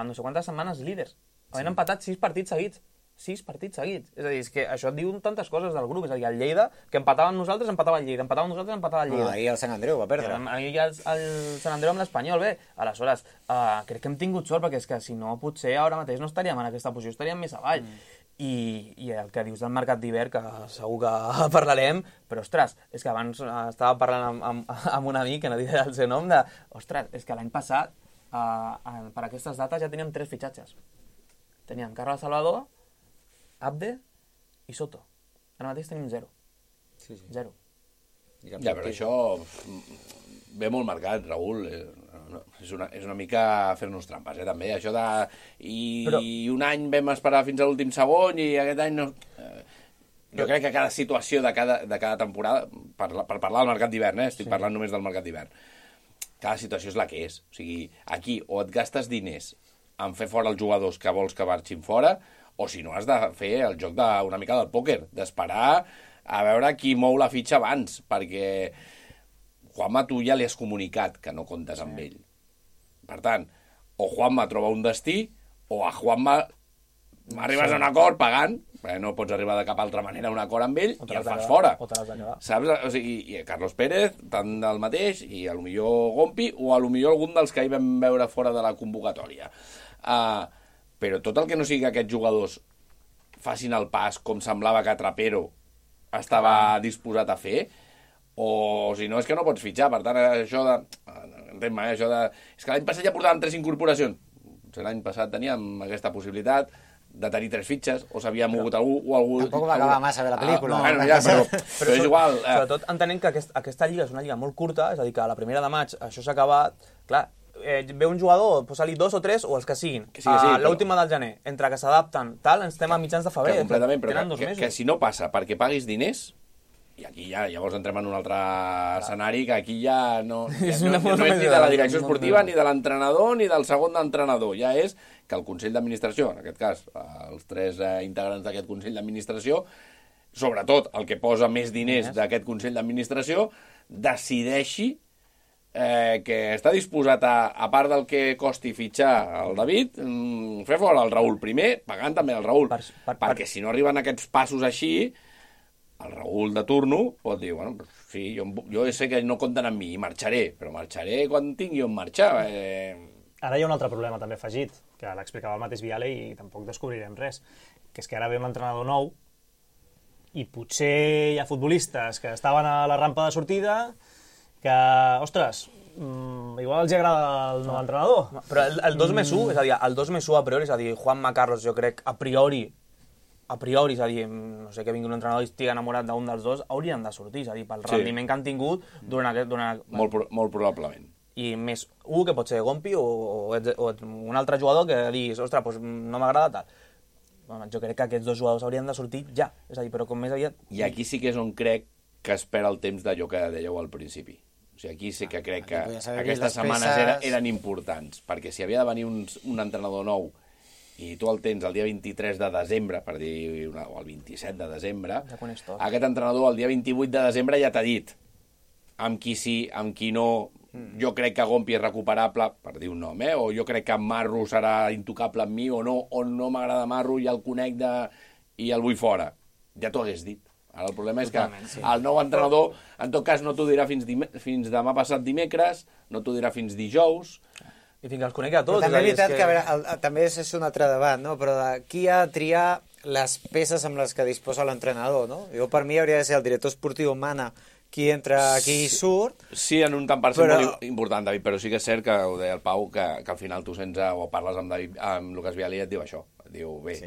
no sé quantes setmanes líders. Havent empatat 6 partits seguits. 6 partits seguits. És a dir, és que això et diu tantes coses del grup. És a dir, el Lleida, que empatava amb nosaltres, empatava el Lleida. Empatava amb nosaltres, empatava el Lleida.
Ahir el Sant Andreu va perdre.
Ahir el Sant Andreu amb l'Espanyol, bé. Aleshores, crec que hem tingut sort, perquè és que si no, potser ara mateix no estaríem en aquesta posició, estaríem més avall. I el que dius del mercat d'hivern, que segur que parlarem, però, ostres, és que abans estava parlant amb un amic, que no diré el seu nom, ostres, és que l'any passat, per aquestes dates, ja teníem 3 fitxatges. Teníem Carles Salvador, Abde i Soto. Ara mateix tenim 0.
Sí.
0.
Ja, però això ve molt marcat, Raül. És una mica fer-nos trampes, també. Això de... I un any vam esperar fins a l'últim segon i aquest any no... Jo crec que cada situació de cada temporada, per parlar del mercat d'hivern, estic parlant només del mercat d'hivern, cada situació és la que és. O sigui, aquí o et gastes diners en fer fora els jugadors que vols que marxin fora, o si no has de fer el joc una mica del pòquer, d'esperar a veure qui mou la fitxa abans, perquè Juanma tu ja li has comunicat que no comptes amb ell. Per tant, o Juanma troba un destí, o a Juanma arribes a un acord pagant, perquè no pots arribar de cap altra manera a un acord amb ell, i el fas fora.
O te l'has de quedar.
Saps? O sigui, i Carlos Pérez, tant del mateix, i a lo millor Gompi, o a lo millor algun dels que hi vam veure fora de la convocatòria. Però tot el que no sigui que aquests jugadors facin el pas com semblava que Trapero estava disposat a fer, o si no és que no pots fitxar. Per tant, això de... Entén-me, això de... És que l'any passat ja portàvem 3 incorporacions. L'any passat teníem aquesta possibilitat de tenir 3 fitxes, o s'havia mogut algú o algú...
Tampoc va acabar massa bé la pel·lícula.
Bueno, ja, però és igual.
Sobretot entenent que aquesta lliga és una lliga molt curta, és a dir, que a la primera de maig això s'ha acabat, clar, ve un jugador, posa-li 2 o 3 o els que siguin. L'última del gener, entre que s'adapten, tal, ens estem a mitjans de febrer.
Completament, però que si no passa perquè paguis diners, i aquí ja llavors entrem en un altre escenari, que aquí ja no és ni de la direcció esportiva, ni de l'entrenador, ni del segon d'entrenador. Ja és que el Consell d'Administració, en aquest cas, els 3 integrants d'aquest Consell d'Administració, sobretot el que posa més diners d'aquest Consell d'Administració, decideixi que està disposat a part del que costi fitxar el David, fer fora el Raül primer, pagant també el Raül, perquè si no arriben aquests passos així, el Raül de turno pot dir, bueno, sí, jo sé que no compten amb mi i marxaré, però marxaré quan tingui on marxar.
Ara hi ha un altre problema també afegit, que l'explicava el mateix Viale i tampoc descobrirem res, que és que ara ve un entrenador nou i potser hi ha futbolistes que estaven a la rampa de sortida que, ostres, igual els agrada el nou entrenador.
Però el 2+1, és a dir, el 2+1 a priori, és a dir, Juanma Carlos, jo crec, a priori, és a dir, no sé, que vingui un entrenador i estigui enamorat d'un dels dos, haurien de sortir, és a dir, pel rendiment que han tingut durant aquest...
Molt probablement.
I més un que pot ser Gompi o un altre jugador que diguis, ostres, doncs no m'agrada tal. Bueno, jo crec que aquests dos jugadors haurien de sortir ja, és a dir, però com més aviat...
I aquí sí que és on crec que es perd el temps d'allò que dèieu al principi. O sigui, aquí sí que crec que aquestes setmanes eren importants, perquè si havia de venir un entrenador nou i tu el tens el dia 23 de desembre, per dir, o el 27 de desembre, aquest entrenador el dia 28 de desembre ja t'ha dit amb qui sí, amb qui no, jo crec que Gompi és recuperable, per dir un nom, o jo crec que Marro serà intocable amb mi, o no m'agrada Marro i el conec i el vull fora. Ja t'ho hagués dit. Ara el problema és que el nou entrenador, en tot cas, no t'ho dirà fins demà passat dimecres, no t'ho dirà fins dijous.
I fins que els conegui a tots.
Però també és veritat que, a veure, també és un altre debat, no? Però qui ha de triar les peces amb les que disposa l'entrenador, no? Jo, per mi, hauria de ser el director esportiu Mana qui entra, qui surt...
Sí, en un tant per cent molt important, David, però sí que és cert que ho deia el Pau, que al final tu sents o parles amb Lucas Viale i et diu això. Diu, bé,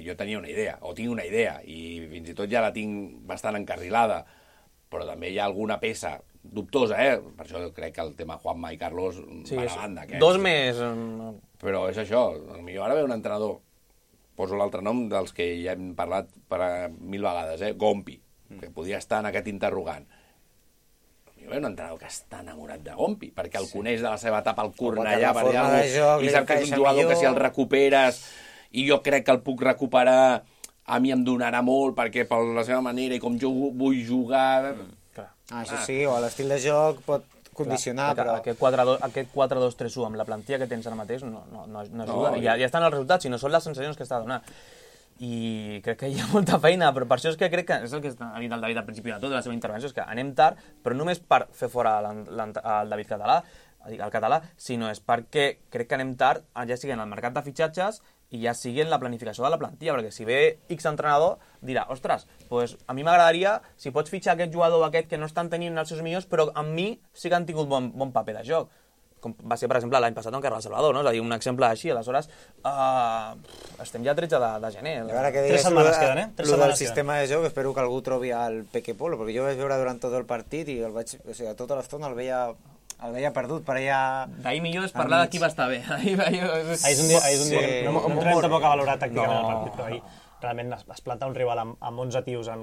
jo tenia una idea, o tinc una idea, i fins i tot ja la tinc bastant encarrilada, però també hi ha alguna peça dubtosa, Per això crec que el tema Juanma i Carlos va a banda.
Dos més...
Però és això, potser ara ve un entrenador, poso l'altre nom dels que ja hem parlat per 1000 vegades, Gompi, que podria estar en aquest interrogant. Hi ha un entrenador que està enamorat de Gompi, perquè el coneix de la seva etapa al Cornellà, i sap que és un jugador que si el recuperes i jo crec que el puc recuperar, a mi em donarà molt, perquè per la seva manera i com jo vull jugar...
Això sí, o l'estil de joc pot condicionar, però...
Aquest 4-2-3-1 amb la plantilla que tens ara mateix no ajuda. Ja estan els resultats, si no són les sensacions que està donant. I crec que hi ha molta feina, però per això és que crec que és el que ha dit el David al principi de tot, de la seva intervenció, és que anem tard, però només per fer fora el David català, el català, sinó és perquè crec que anem tard, ja sigui en el mercat de fitxatges i ja sigui en la planificació de la plantilla, perquè si ve X entrenador, dirà, ostres, pues a mi m'agradaria, si pots fitxar aquest jugador aquest que no estan tenint els seus millors, però amb mi sí que han tingut bon paper de joc. Com va ser, per exemple, l'any passat amb Carles Salvador, no? És a dir, un exemple així, aleshores estem ja a 13 de gener.
A veure què
3 setmanes queden,
Lo del sistema de joc, espero que algú trobi el Peque Polo, perquè jo vaig veure durant tot el partit i tota l'estona el veia perdut per allà...
D'ahir millor és parlar de qui va estar bé.
Ahir és un dia... No entrarem tampoc a valorar tàcticament el partit, però ahir realment es planta un rival amb 11 tios, o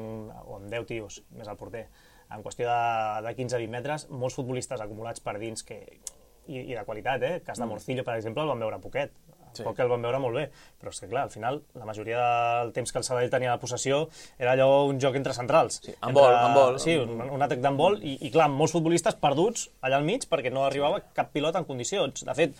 amb 10 tios, més el porter, en qüestió de 15-20 metres, molts futbolistes acumulats per dins i de qualitat, Cas de Morcillo, per exemple, el vam veure poquet. Poc que el vam veure molt bé, però és que clar, al final la majoria del temps que el Sabadell tenia la possessió era allò un joc entre centrals.
Sí, amb vol.
Sí, un atac d'handbol i clar, molts futbolistes perduts allà al mig perquè no arribava cap pilot en condicions. De fet,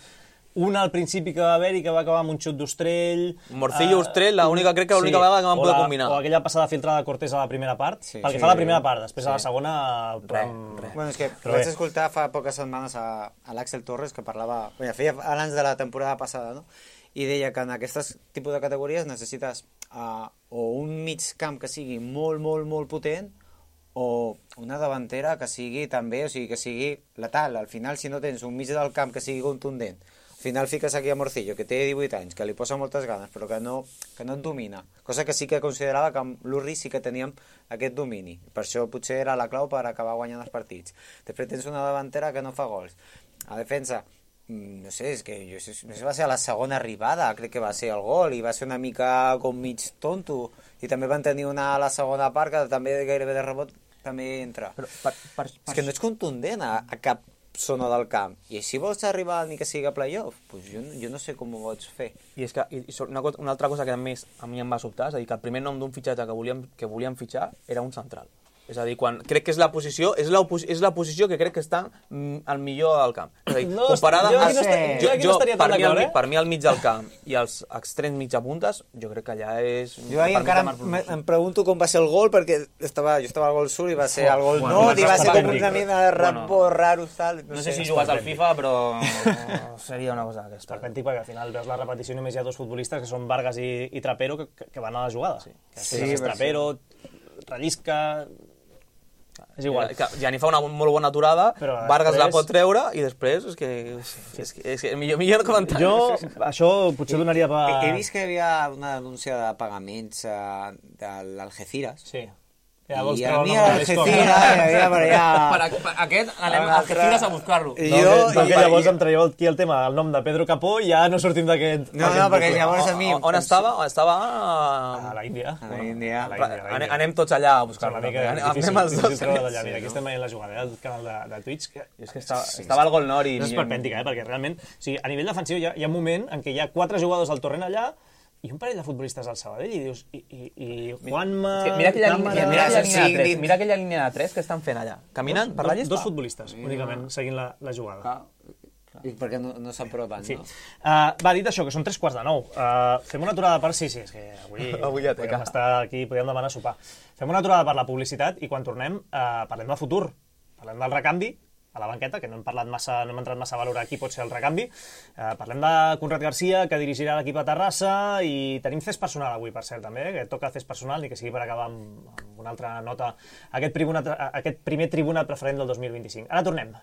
un al principi que va haver-hi que va acabar amb un xut d'Ostrell...
Morcillo, Ostrell, crec que l'única vegada que van poder combinar.
O aquella passada filtrada de Cortés a la primera part, pel que fa a la primera part, després a la segona...
Res. Bueno, és que vaig escoltar fa poques setmanes a l'Àxel Torres, que parlava... Feia abans de la temporada passada, no? I deia que en aquestes tipus de categories necessites o un mig camp que sigui molt, molt, molt potent o una davantera que sigui també, o sigui, que sigui letal. Al final, si no tens un mig del camp que sigui contundent, al final fiques aquí a Morcillo, que té 18 anys, que li posa moltes ganes, però que no et domina. Cosa que sí que considerava que amb l'Urri sí que teníem aquest domini. Per això potser era la clau per acabar guanyant els partits. Després tens una davantera que no fa gols. A defensa, no sé, és que no sé, va ser a la segona arribada, crec que va ser el gol, i va ser una mica com mig tonto. I també van tenir una a la segona part que també gairebé de rebot també entra. Però és que no ets contundent a cap zona del camp. I si vols arribar ni que sigui a playoff, doncs jo no sé com ho pots fer.
I és que una altra cosa que a més a mi em va sobtar, és a dir, que el primer nom d'un fitxatge que volíem fitxar era un central. És a dir, crec que és la posició que crec que està al millor del camp. És a dir, comparada per mi al mig del camp i als extrems mitja puntes, jo crec que allà és...
Jo ahir encara em pregunto com va ser el gol, perquè jo estava al gol sud i va ser el gol nord i va ser com una mena de rapport raro, tal.
No sé si jugues al FIFA, però seria una cosa aquesta.
Esperpèntic, perquè al final veus la repetició i només hi ha dos futbolistes, que són Vargas i Trapero, que van a la jugada. Sí, Trapero, rellisca... És igual.
Gianni fa una molt bona aturada, Vargas la pot treure i després és que millor comentari.
Jo això potser donaria per...
He vist que hi havia una denúncia de pagaments de l'Algeciras.
Sí.
I a mi Algeciras havia per allà...
Per aquest anem a Algeciras a buscar-lo.
Perquè llavors em traieu aquí el tema, el nom de Pedro Capó, i ja no sortim d'aquest...
No, perquè llavors a mi...
On estava? Estava
a la Índia.
A la Índia.
Anem tots allà a buscar-lo.
Anem els dos. Mira, aquí estem veient la jugada del canal de Twitch.
És que estava al gol nord i...
És esperpèntica, perquè realment... A nivell defensiu hi ha un moment en què hi ha 4 jugadors al torrent allà i un parell de futbolistes al Sabadell i dius, i Juanma...
Mira aquella línia de 3 que estan fent allà. Caminant per la llista?
Dos futbolistes, únicament, seguint la jugada.
I perquè no s'apropen, no?
Va, dit això, que són 3:45. Fem una aturada per... Sí, és que avui
ja té
podem estar aquí, podem demanar sopar. Fem una aturada per la publicitat i quan tornem parlem del futur. Parlem del recanvi a la banqueta, que no hem entrat massa a valorar qui pot ser el recanvi. Parlem de Conrad Garcia, que dirigirà l'equip a Terrassa, i tenim cés personal avui, per cert, també, que toca cés personal, ni que sigui per acabar amb una altra nota, aquest primer tribuna preferent del 2025. Ara tornem.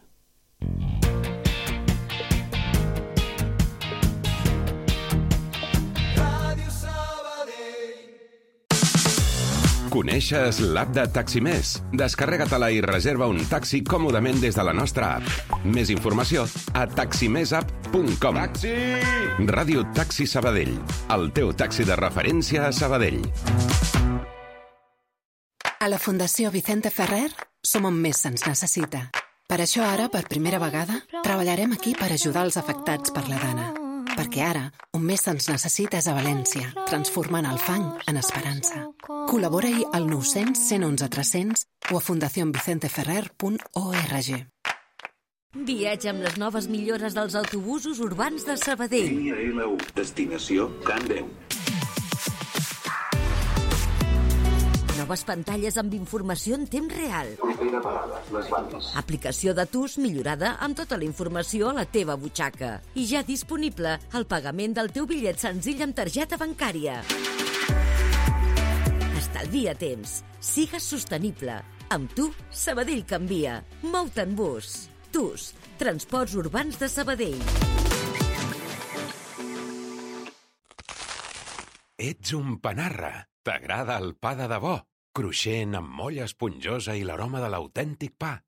Coneixes l'app de Taximés? Descarrega-te-la i reserva un taxi còmodament des de la nostra app. Més informació a taximesapp.com. Taxi! Ràdio Taxi Sabadell, el teu taxi de referència a Sabadell.
A la Fundació Vicente Ferrer som on més se'ns necessita. Per això ara, per primera vegada, treballarem aquí per ajudar els afectats per la dana. Perquè ara, on més se'ns necessita és a València, transformant el fang en esperança. Col·labora-hi al 900 111 300 o a fundacionvicenteferrer.org.
Viatja amb les noves millores dels autobusos urbans de Sabadell.
Línia L1, destinació Can Déu.
Noves pantalles amb informació en temps real.
Propera parada, les Valls.
Aplicació de TUS millorada amb tota la informació a la teva butxaca. I ja disponible el pagament del teu bitllet senzill amb targeta bancària. Estalvia temps. Sigues sostenible. Amb tu, Sabadell canvia. Mou-te en bus. TUS, Transports Urbans de Sabadell.
Ets un panarra. T'agrada el pa de debò? Cruixent, amb molla esponjosa i l'aroma de l'autèntic pa.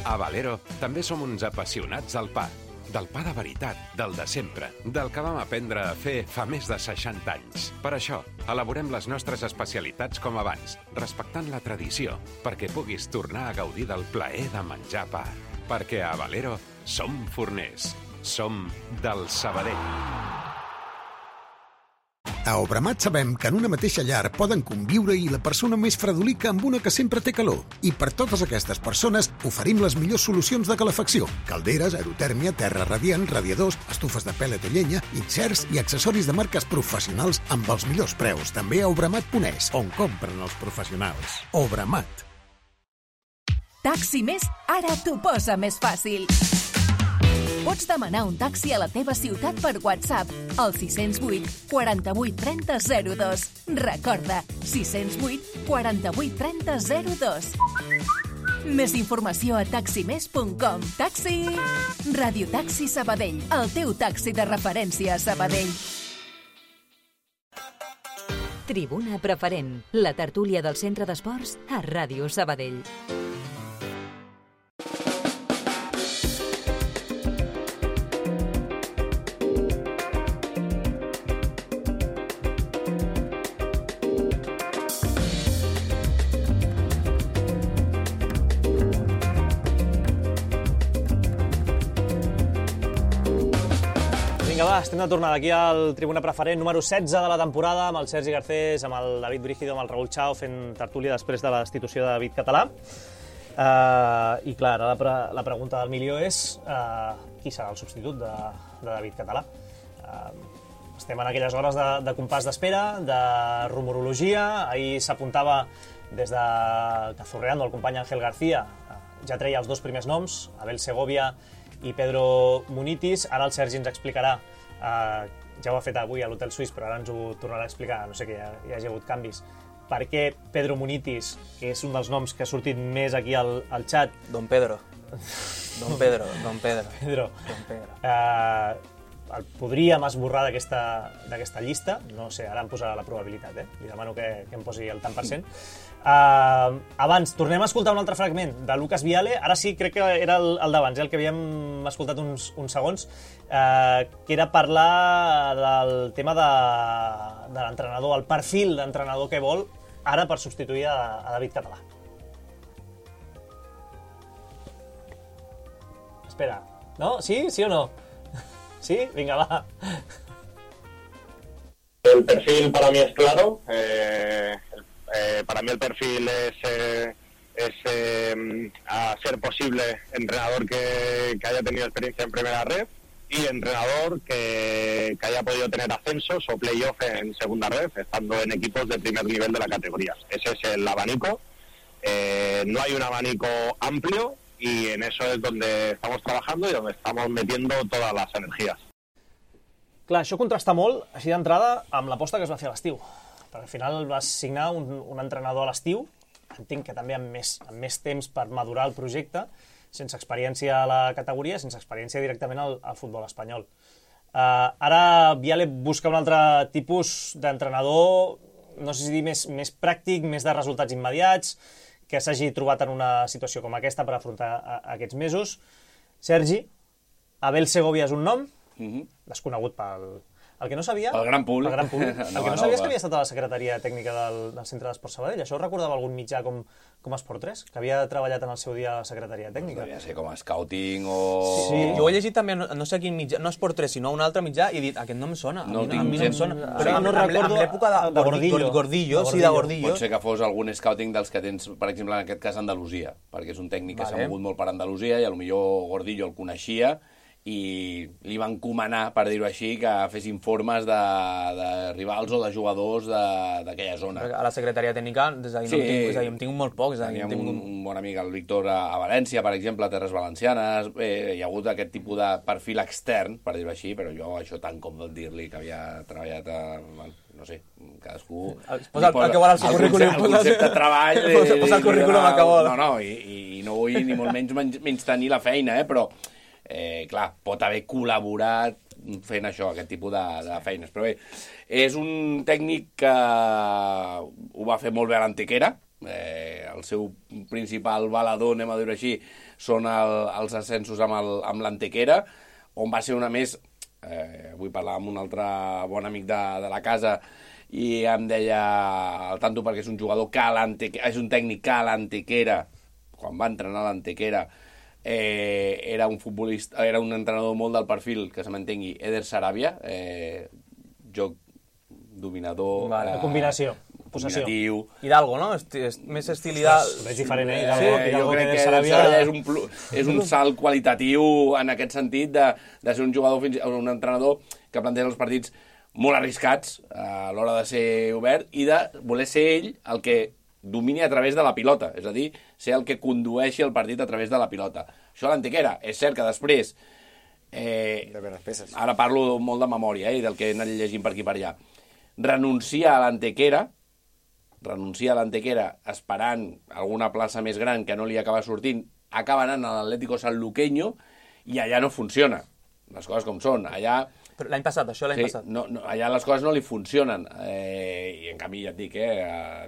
A Valero també som uns apassionats del pa. Del pa de veritat, del de sempre, del que vam aprendre a fer fa més de 60 anys. Per això, elaborem les nostres especialitats com abans, respectant la tradició, perquè puguis tornar a gaudir del plaer de menjar pa. Perquè a Valero som forners. Som del Sabadell.
A Obramat sabem que en una mateixa llar poden conviure-hi la persona més fredolica amb una que sempre té calor. I per totes aquestes persones oferim les millors solucions de calefacció. Calderes, aerotèrmia, terra radiant, radiadors, estufes de pèl·let o llenya, inserts i accessoris de marques professionals amb els millors preus. També a Obramat.es, on compren els professionals. Obramat.
Taxi Més ara t'ho posa més fàcil. Pots demanar un taxi a la teva ciutat per WhatsApp al 608 48 30 02. Recorda, 608 48 30 02. Més informació a taximes.com. Taxi! Ràdio Taxi Sabadell, el teu taxi de referència a Sabadell.
Tribuna Preferent, la tertúlia del Centre d'Esports a Ràdio Sabadell.
estem de tornada aquí al Tribuna Preferent número 16 de la temporada, amb el Sergi Garcés, amb el David Brígido, amb el Raül Chao, fent tertúlia després de la destitució de David Català. I clar, ara la pregunta del milió és qui serà el substitut de David Català. Estem en aquelles hores de compàs d'espera, de rumorologia. Ahir s'apuntava des de Cazorreando, el company Ángel García, ja treia els dos primers noms, Abel Segovia i Pedro Munitis. Ara el Sergi ens explicarà, ja ho ha fet avui a l'Hotel Suís, però ara ens ho tornarà a explicar, no sé que hi hagi hagut canvis, per què Pedro Munitis, que és un dels noms que ha sortit més aquí al xat...
Don Pedro. Pedro.
El podríem esborrar d'aquesta llista, no sé, ara em posarà la probabilitat, li demano que em posi el tant per cent. Abans, tornem a escoltar un altre fragment de Lucas Viale, ara sí, crec que era el d'abans, el que havíem escoltat uns segons, que era parlar del tema de l'entrenador, el perfil d'entrenador que vol ara per substituir a David Català. Espera, no? Sí? Sí o no? ¿Sí? Venga, va.
El perfil para mí es claro. Para mí el perfil es a ser posible entrenador que haya tenido experiencia en primera red y entrenador que haya podido tener ascensos o playoff en segunda red, estando en equipos de primer nivel de la categoría. Ese es el abanico. No hay un abanico amplio, y en eso es donde estamos trabajando y donde estamos metiendo todas las energías.
Clar, això contrasta molt, així d'entrada, amb l'aposta que es va fer a l'estiu. Perquè al final vas signar un entrenador a l'estiu, entenc que també amb més temps per madurar el projecte, sense experiència a la categoria, sense experiència directament al futbol espanyol. Ara Viale busca un altre tipus d'entrenador, no sé si dir més pràctic, més de resultats immediats, que s'hagi trobat en una situació com aquesta per afrontar aquests mesos. Sergi, Abel Segovia és un nom, desconegut pel... El que no sabia...
El gran públic.
El que no sabia és que havia estat a la secretaria tècnica del Centre d'Esport Sabadell. Això ho recordava algun mitjà com Esport 3, que havia treballat en el seu dia a la secretaria tècnica.
Devia ser com a scouting o...
Sí. Jo ho he llegit també, no sé quin mitjà, no Esport 3, sinó un altre mitjà, i he dit, aquest no em sona.
No
a mi no em sona.
Però no recordo...
En l'època de Gordillo, sí, de Gordillo.
Pot ser que fos algun scouting dels que tens, per exemple, en aquest cas, Andalusia, perquè és un tècnic que s'ha mogut molt per Andalusia i potser Gordillo el coneixia i li van encomanar, per dir-ho així, que fes informes de rivals o de jugadors d'aquella zona.
A la secretaria tècnica, és a dir, em tinc molt poc.
Teníem un bon amic, el Víctor, a València, per exemple, a Terres Valencianes. Hi ha hagut aquest tipus de perfil extern, per dir-ho així, però jo això tant com dir-li que havia treballat a... no sé, cadascú...
Posa el que vol al seu currículum.
El concepte de treball...
Posa el currículum a que vol.
No, i no vull ni molt menys tenir la feina, però... clar, pot haver col·laborat fent això, aquest tipus de feines. Però bé, és un tècnic que ho va fer molt bé a l'Antequera. El seu principal valedor, anem a dir-ho així, són els ascensos amb l'Antequera, on va ser una més... Avui parlava amb un altre bon amic de la casa i em deia al tanto perquè és un jugador que és un tècnic que a l'Antequera, quan va entrenar a l'Antequera, era un futbolista, era un entrenador molt del perfil, que se m'entengui, Eder Sarabia, joc dominador,
combinació, possessió.
Hidalgo, no? Més estil Hidalgo.
És diferent,
Hidalgo. Jo crec que Sarabia és un salt qualitatiu en aquest sentit de ser un jugador, un entrenador que planteja els partits molt arriscats a l'hora de ser obert i de voler ser ell el que domini a través de la pilota, és a dir, ser el que condueixi el partit a través de la pilota. Això a l'Antequera, és cert que després, ara parlo molt de memòria i del que he anat llegint per aquí per allà, renuncia a l'Antequera esperant alguna plaça més gran que no li acaba sortint, acaba anant a l'Atlético Sanluqueño i allà no funciona. Les coses com són, allà...
Però l'any passat, això l'any passat.
No, allà les coses no li funcionen. I en canvi, ja et dic,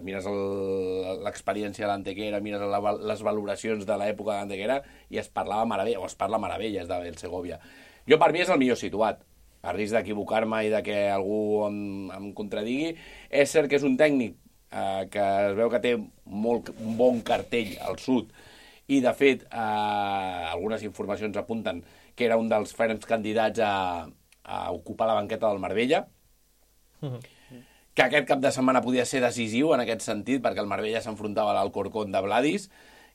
mires l'experiència de l'Antequera, mires les valoracions de l'època de l'Antequera i es parla meravelles d'Abel Segovia. Jo, per mi, és el millor situat. A risc d'equivocar-me i que algú em contradigui, és cert que és un tècnic que es veu que té un bon cartell al sud i, de fet, algunes informacions apunten que era un dels ferms candidats a ocupar la banqueta del Marbella, que aquest cap de setmana podia ser decisiu en aquest sentit, perquè el Marbella s'enfrontava a l'Alcorcón de Vladis,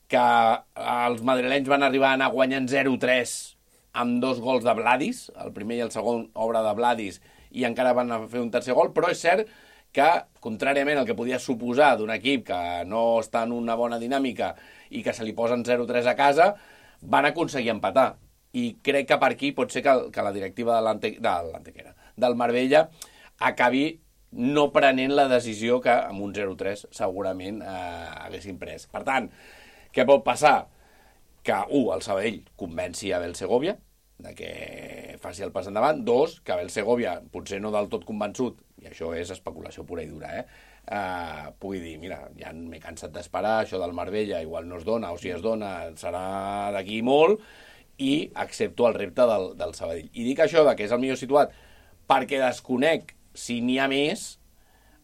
que els madrilenys van arribar a anar guanyant 0-3 amb 2 gols de Vladis, el primer i el segon obra de Vladis, i encara van fer un tercer gol, però és cert que, contràriament al que podia suposar d'un equip que no està en una bona dinàmica i que se li posen 0-3 a casa, van aconseguir empatar. I crec que per aquí pot ser que la directiva del Marbella acabi no prenent la decisió que amb un 0-3 segurament haguessin pres. Per tant, què pot passar? Que, el Sabadell convenci a Abel Segovia de que faci el pas endavant. 2, que Abel Segovia, potser no del tot convençut, i això és especulació pura i dura, pugui dir, mira, ja m'he cansat d'esperar, això del Marbella igual no es dona, o si es dona serà d'aquí molt, i accepto el repte del Sabadell. I dic això que és el millor situat perquè desconec si n'hi ha més,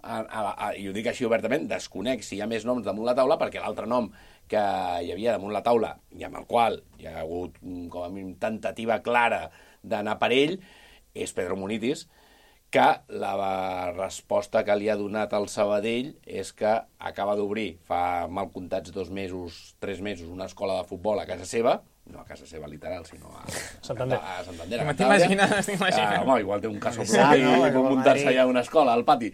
i ho dic així obertament, desconec si hi ha més noms damunt la taula, perquè l'altre nom que hi havia damunt la taula i amb el qual hi ha hagut com a mínim tentativa clara d'anar per ell és Pedro Munitis, que la resposta que li ha donat al Sabadell és que acaba d'obrir fa mal comptats 2 mesos, 3 mesos, una escola de futbol a casa seva, no a casa seva literal, sinó a Santander.
T'imagines?
Home, igual té un cas propi i pot muntar-se allà una escola al pati.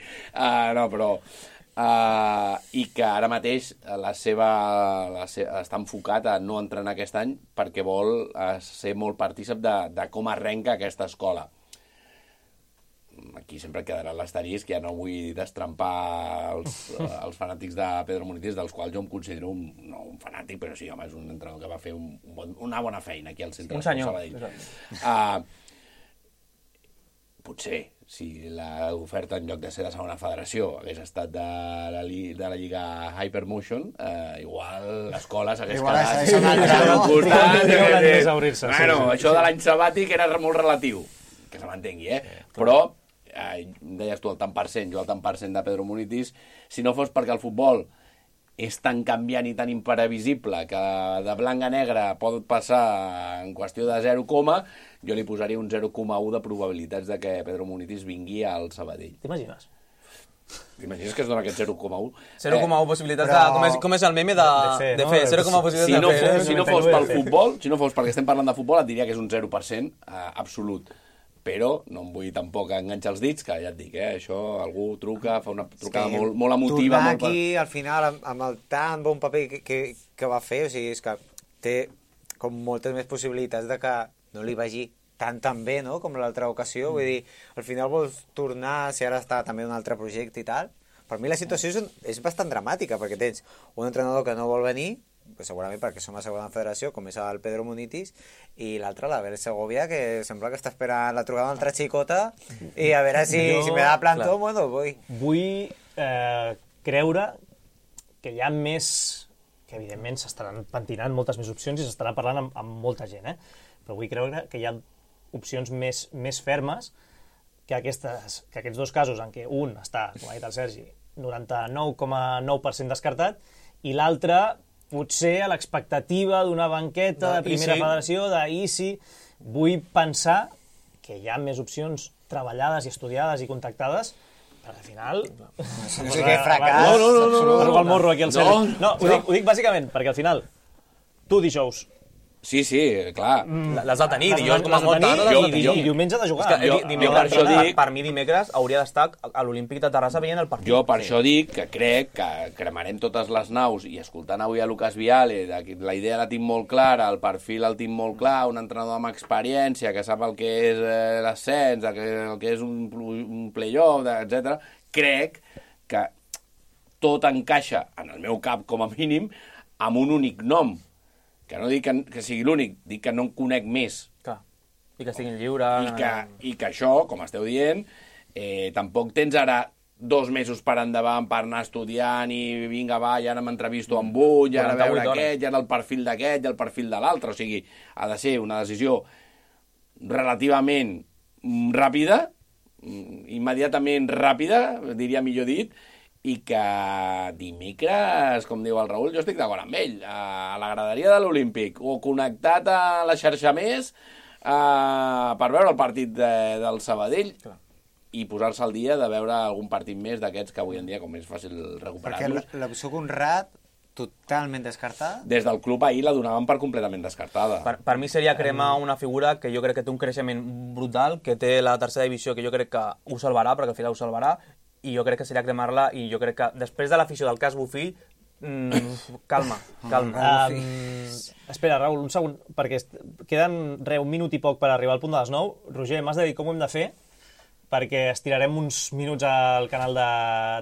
I que ara mateix està enfocat a no entrenar aquest any perquè vol ser molt partícip de com arrenca aquesta escola. Aquí sempre quedarà l'asterisc, ja no vull destrempar els fanàtics de Pedro Munitis, dels quals jo em considero no un fanàtic, però sí, home, és un entrenador que va fer una bona feina aquí al centre de Sabadell. Potser, si l'oferta en lloc de ser de segona federació hagués estat de la Lliga Hypermotion, igual l'escola s'hagués quedat al costat. Bueno, això de l'any sabàtic era molt relatiu, que se m'entengui, però deies tu el tant per cent, jo el tant per cent de Pedro Munitis, si no fos perquè el futbol és tan canviant i tan imprevisible que de blanc a negre pot passar en qüestió de 0, jo li posaria un 0,1 de probabilitats de que Pedro Munitis vingui al Sabadell.
T'imagines?
T'imagines que es dona aquest 0,1?
0,1 possibilitats de... Com és el meme de fer? 0,1 possibilitats de fer.
Si no fos pel futbol, si no fos perquè estem parlant de futbol, et diria que és un 0% absolut. Però no em vull tampoc enganxar els dits, que ja et dic, això algú truca, fa una trucada molt emotiva.
Tornar aquí, al final, amb el tan bon paper que va fer, o sigui, és que té com moltes més possibilitats de que no li vagi tan bé, no?, com l'altra ocasió. Vull dir, al final vols tornar, si ara està també un altre projecte i tal. Per mi la situació és bastant dramàtica, perquè tens un entrenador que no vol venir, segurament perquè som a segona federació, com és el Pedro Munitis, i l'altre, l'Abel Segovia, que sembla que està esperant la trobada d'una altra xicota, i a veure si me da plantó, bueno, vull.
Vull creure que hi ha més, que evidentment s'estaran pentinant moltes més opcions i s'estaran parlant amb molta gent, però vull creure que hi ha opcions més fermes que aquests 2 casos en què un està, com ha dit el Sergi, 99,9% descartat, i l'altre potser a l'expectativa d'una banqueta de primera federació, d'ICI. Vull pensar que hi ha més opcions treballades i estudiades i contactades, però al final...
No sé què fracàs.
No, el morro aquí al Sergi. No, ho dic bàsicament perquè al final, tu dijous...
Sí, clar.
Les de tenir, dijous com a molt tard.
I diumenge de jugar.
Per mi dimecres hauria d'estar a l'Olímpic de Terrassa veient el partit.
Jo per això dic que crec que cremarem totes les naus i escoltant avui a Lucas Viale, la idea la tinc molt clara, el perfil el tinc molt clar, un entrenador amb experiència que sap el que és l'ascens, el que és un play-off, etc. Crec que tot encaixa, en el meu cap com a mínim, amb un únic nom. Que no dic que sigui l'únic, dic que no en conec més.
Clar. I que estiguin lliures.
I que això, com esteu dient, tampoc tens ara 2 mesos per endavant per anar estudiant i vinga, va, ja ara m'entrevisto amb un, ja ara veure aquest, ja ara el perfil d'aquest, ja el perfil de l'altre. O sigui, ha de ser una decisió relativament ràpida, immediatament ràpida, diria millor dit, i que dimecres, com diu el Raül, jo estic d'acord amb ell, a la graderia de l'Olímpic, o connectat a la xarxa més, per veure el partit del Sabadell i posar-se al dia de veure algun partit més d'aquests que avui en dia com és fàcil recuperar-los.
Perquè l'opció Conrad, totalment descartada?
Des del club ahir la donaven per completament descartada.
Per mi seria cremar una figura que jo crec que té un creixement brutal, que té la tercera divisió, que jo crec que ho salvarà, perquè al final ho salvarà, i jo crec que seria cremar-la, i jo crec que després de l'afició del cas Bofill, calma.
Espera, Raül, un segon, perquè queden un minut i poc per arribar al punt de les 9. Roger, m'has de dir com ho hem de fer, perquè estirarem uns minuts al canal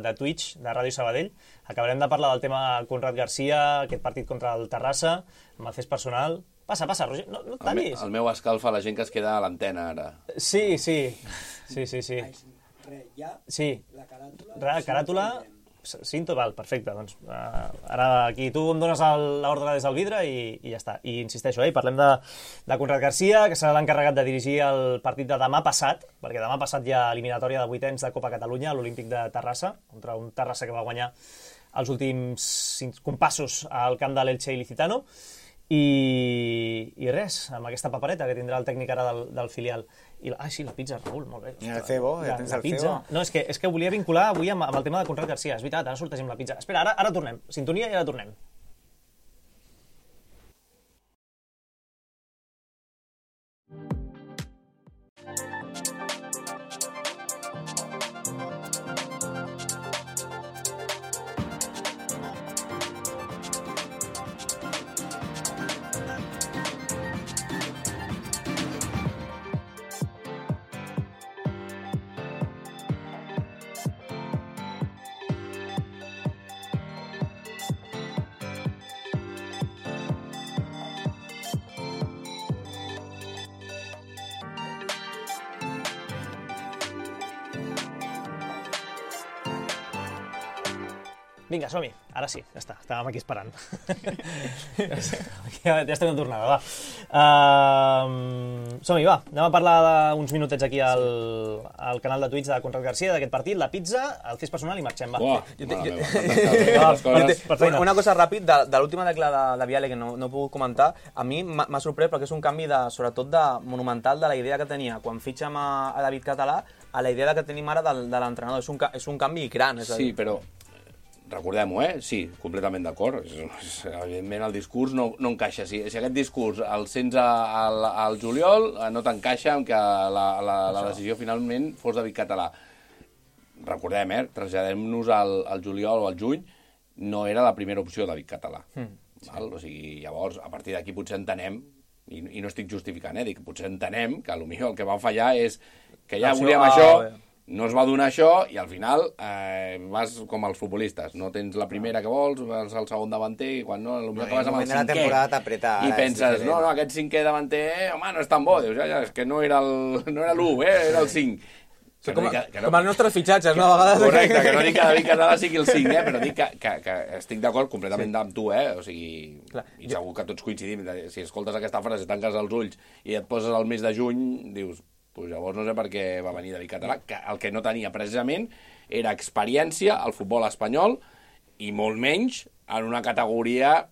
de Twitch, de Ràdio Sabadell. Acabarem de parlar del tema Conrad Garcia, aquest partit contra el Terrassa, amb el fes personal. Passa, Roger, no et tallis.
El meu escalfa la gent que es queda a l'antena, ara.
Sí. Sí, la caràtula... Sí, val, perfecte. Doncs, ara aquí tu em dones l'ordre des del vidre i ja està. I insisteixo, parlem de Conrad Garcia, que serà l'encarregat de dirigir el partit de demà passat, perquè demà passat hi ha eliminatòria de vuitens de Copa Catalunya a l'Olímpic de Terrassa, contra un Terrassa que va guanyar els últims compassos al camp de l'Elche Ilicitano. I res, amb aquesta papereta que tindrà el tècnic ara del filial. Sí, la pizza, Raül, molt bé.
I el cebo, tens el cebo.
No, és que volia vincular avui amb el tema de Conrad Garcia. És veritat, ara sortegem la pizza. Espera, ara tornem. Sintonia i ara tornem. Vinga, som-hi. Ara sí, ja està. Estàvem aquí esperant. Ja estem de tornada, va. Som-hi, va. Anem a parlar d'uns minutets aquí al canal de Twitch de Conrad Garcia, d'aquest partit, la pizza, el fes personal i marxem, va.
Una cosa ràpid, de l'última tecla de Viale, que no he pogut comentar, a mi m'ha sorprès perquè és un canvi, sobretot monumental, de la idea que tenia quan fitxem a David Català a la idea que tenim ara de l'entrenador. És un canvi gran.
Sí, però... Recordem-ho, sí, completament d'acord. Evidentment el discurs no encaixa. Si aquest discurs el sents al juliol, no t'encaixa amb que la decisió finalment fos David Català. Recordem, traslladem-nos al juliol o al juny, no era la primera opció David Català. O sigui, llavors, a partir d'aquí potser entenem, i no estic justificant, dic, potser entenem que potser el que va fallar és que ja volíem això... No es va donar això i al final vas com els futbolistes. No tens la primera que vols, vas al segon davanter i quan no, potser acabes amb el cinquè. I penses, no, aquest cinquè davanter, home, no és tan bo. Dius, ja, és que no era l'1, era el 5.
Com els nostres fitxatges, no? A vegades...
Correcte, que no dic que David Català sigui el 5, però dic que estic d'acord completament amb tu, o sigui, i segur que tots coincidim. Si escoltes aquesta frase, tanques els ulls i et poses al mes de juny, dius... Pues llavors no sé per què va venir David Català, que el que no tenia precisament era experiència al futbol espanyol i molt menys en una categoria